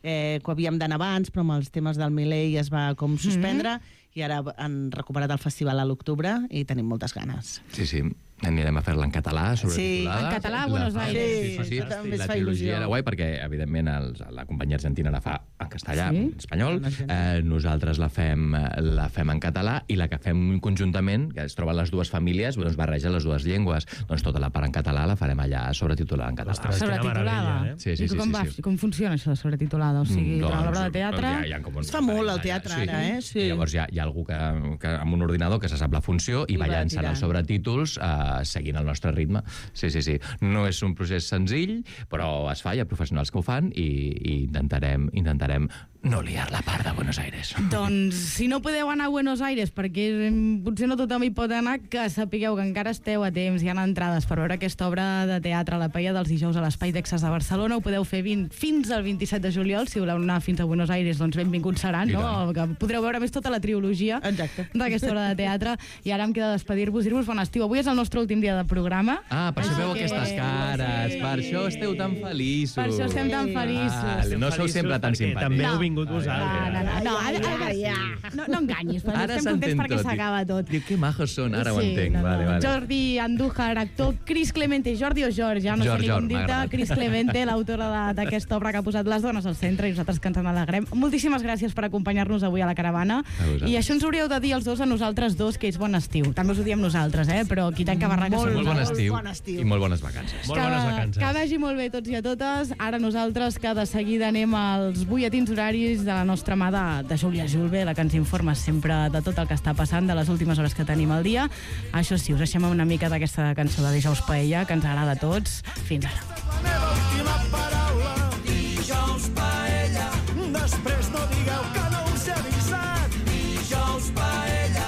eh, que havíem d'anar abans, però amb els temes del Milei es va com suspendre, mm -hmm. i ara han recuperat el festival a l'octubre i tenim moltes ganes. Sí, sí. Anirem a fer-la en català, sobretitulada. Sí, en català a Buenos Aires. Sí, sí, sí. també La es fa trilogia il·lusió. era guai perquè, evidentment, els, la companyia argentina la fa en castellà, Sí? en espanyol. Eh, nosaltres la fem, la fem en català i la que fem conjuntament, que es troben les dues famílies, doncs barreja les dues llengües. Doncs tota la part en català la farem allà sobretitulada en català. Ostres, sobretitulada? Sí, sí, I sí. com, sí, va, sí. com funciona això de sobretitulada? O sigui, Mm, durant doncs, l'obra de teatre... ja- ja com un- Es fa molt al teatre, Sí. ara, eh? Sí. I llavors hi ha, hi ha algú que, que, amb un ordinador que se sap la funció i, I va va llançant tirant. els sobretítols eh, seguint el nostre ritme. Sí, sí, sí. No és un procés senzill, però es fa, hi ha professionals que ho fan i, i intentarem, intentarem no liar la part de Buenos Aires. Doncs, si no podeu anar a Buenos Aires, perquè mm, potser no tothom hi pot anar, que sapigueu que encara esteu a temps, hi ha entrades per veure aquesta obra de teatre a la Paella dels dijous a l'Espai d'Exes de Barcelona. Ho podeu fer vint, fins al vint-i-set de juliol. Si voleu anar fins a Buenos Aires, doncs benvinguts seran, I no? Que podreu veure més tota la trilogia d'aquesta obra de teatre. I ara em queda despedir-vos, dir-vos bon estiu. Avui és el nostre últim dia de programa. Ah, per això Així veu que- aquestes cares, Sí. per això esteu tan feliços. Per això estem tan feliços. Vale, no sou sempre tan simpàtics. També heu No. vingut No, vosaltres. no, no, no, ara, ara, ja. no, no enganyis, però Ara estem contents s'entén perquè tot. s'acaba tot. Diu, que majos són, ara ho Sí, entenc. no, no. Vale, vale. Jordi Andújar, actor, Cris Clemente, Jordi o George, ja no George, sé ni com George, m'ha dir-te, agradat. Cris Clemente, l'autora de- d'aquesta obra que ha posat les dones al centre i nosaltres que ens en alegrem. Moltíssimes gràcies per acompanyar-nos avui a la caravana. A vosaltres. I això ens hauríeu de dir els dos a nosaltres dos, que és bon estiu. També us ho diem nosaltres, eh? Però qui tanca barraca Molt, som molt bon nosaltres. estiu, bon estiu. i molt bones vacances. Molt bones vacances. Que vagi molt bé tots i a totes. Ara nosaltres, que de seguida anem als butlletins horaris de la nostra mà de, de Júlia Julve, la que ens informa sempre de tot el que està passant, de les últimes hores que tenim al dia. Això sí, us deixem amb una mica d'aquesta cançó de Dijous Paella, que ens agrada a tots. Fins ara. La meva última paraula. Dijous paella. Després no digueu que no us he avisat. Dijous paella.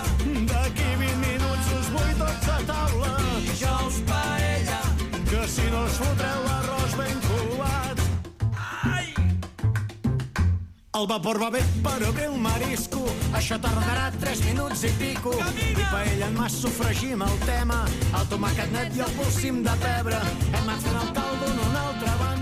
D'aquí vint minuts us vull tots a taula. Dijous paella. Que si no us fotreu l'arròs ben covat. Ai! El vapor va bé, però bé el marisco. Això tardarà tres minuts i pico. Camina! I paella en mas sofregim el tema. El tomàquet net i el polsim de pebre. Hem anat fent el caldo en una altra banda.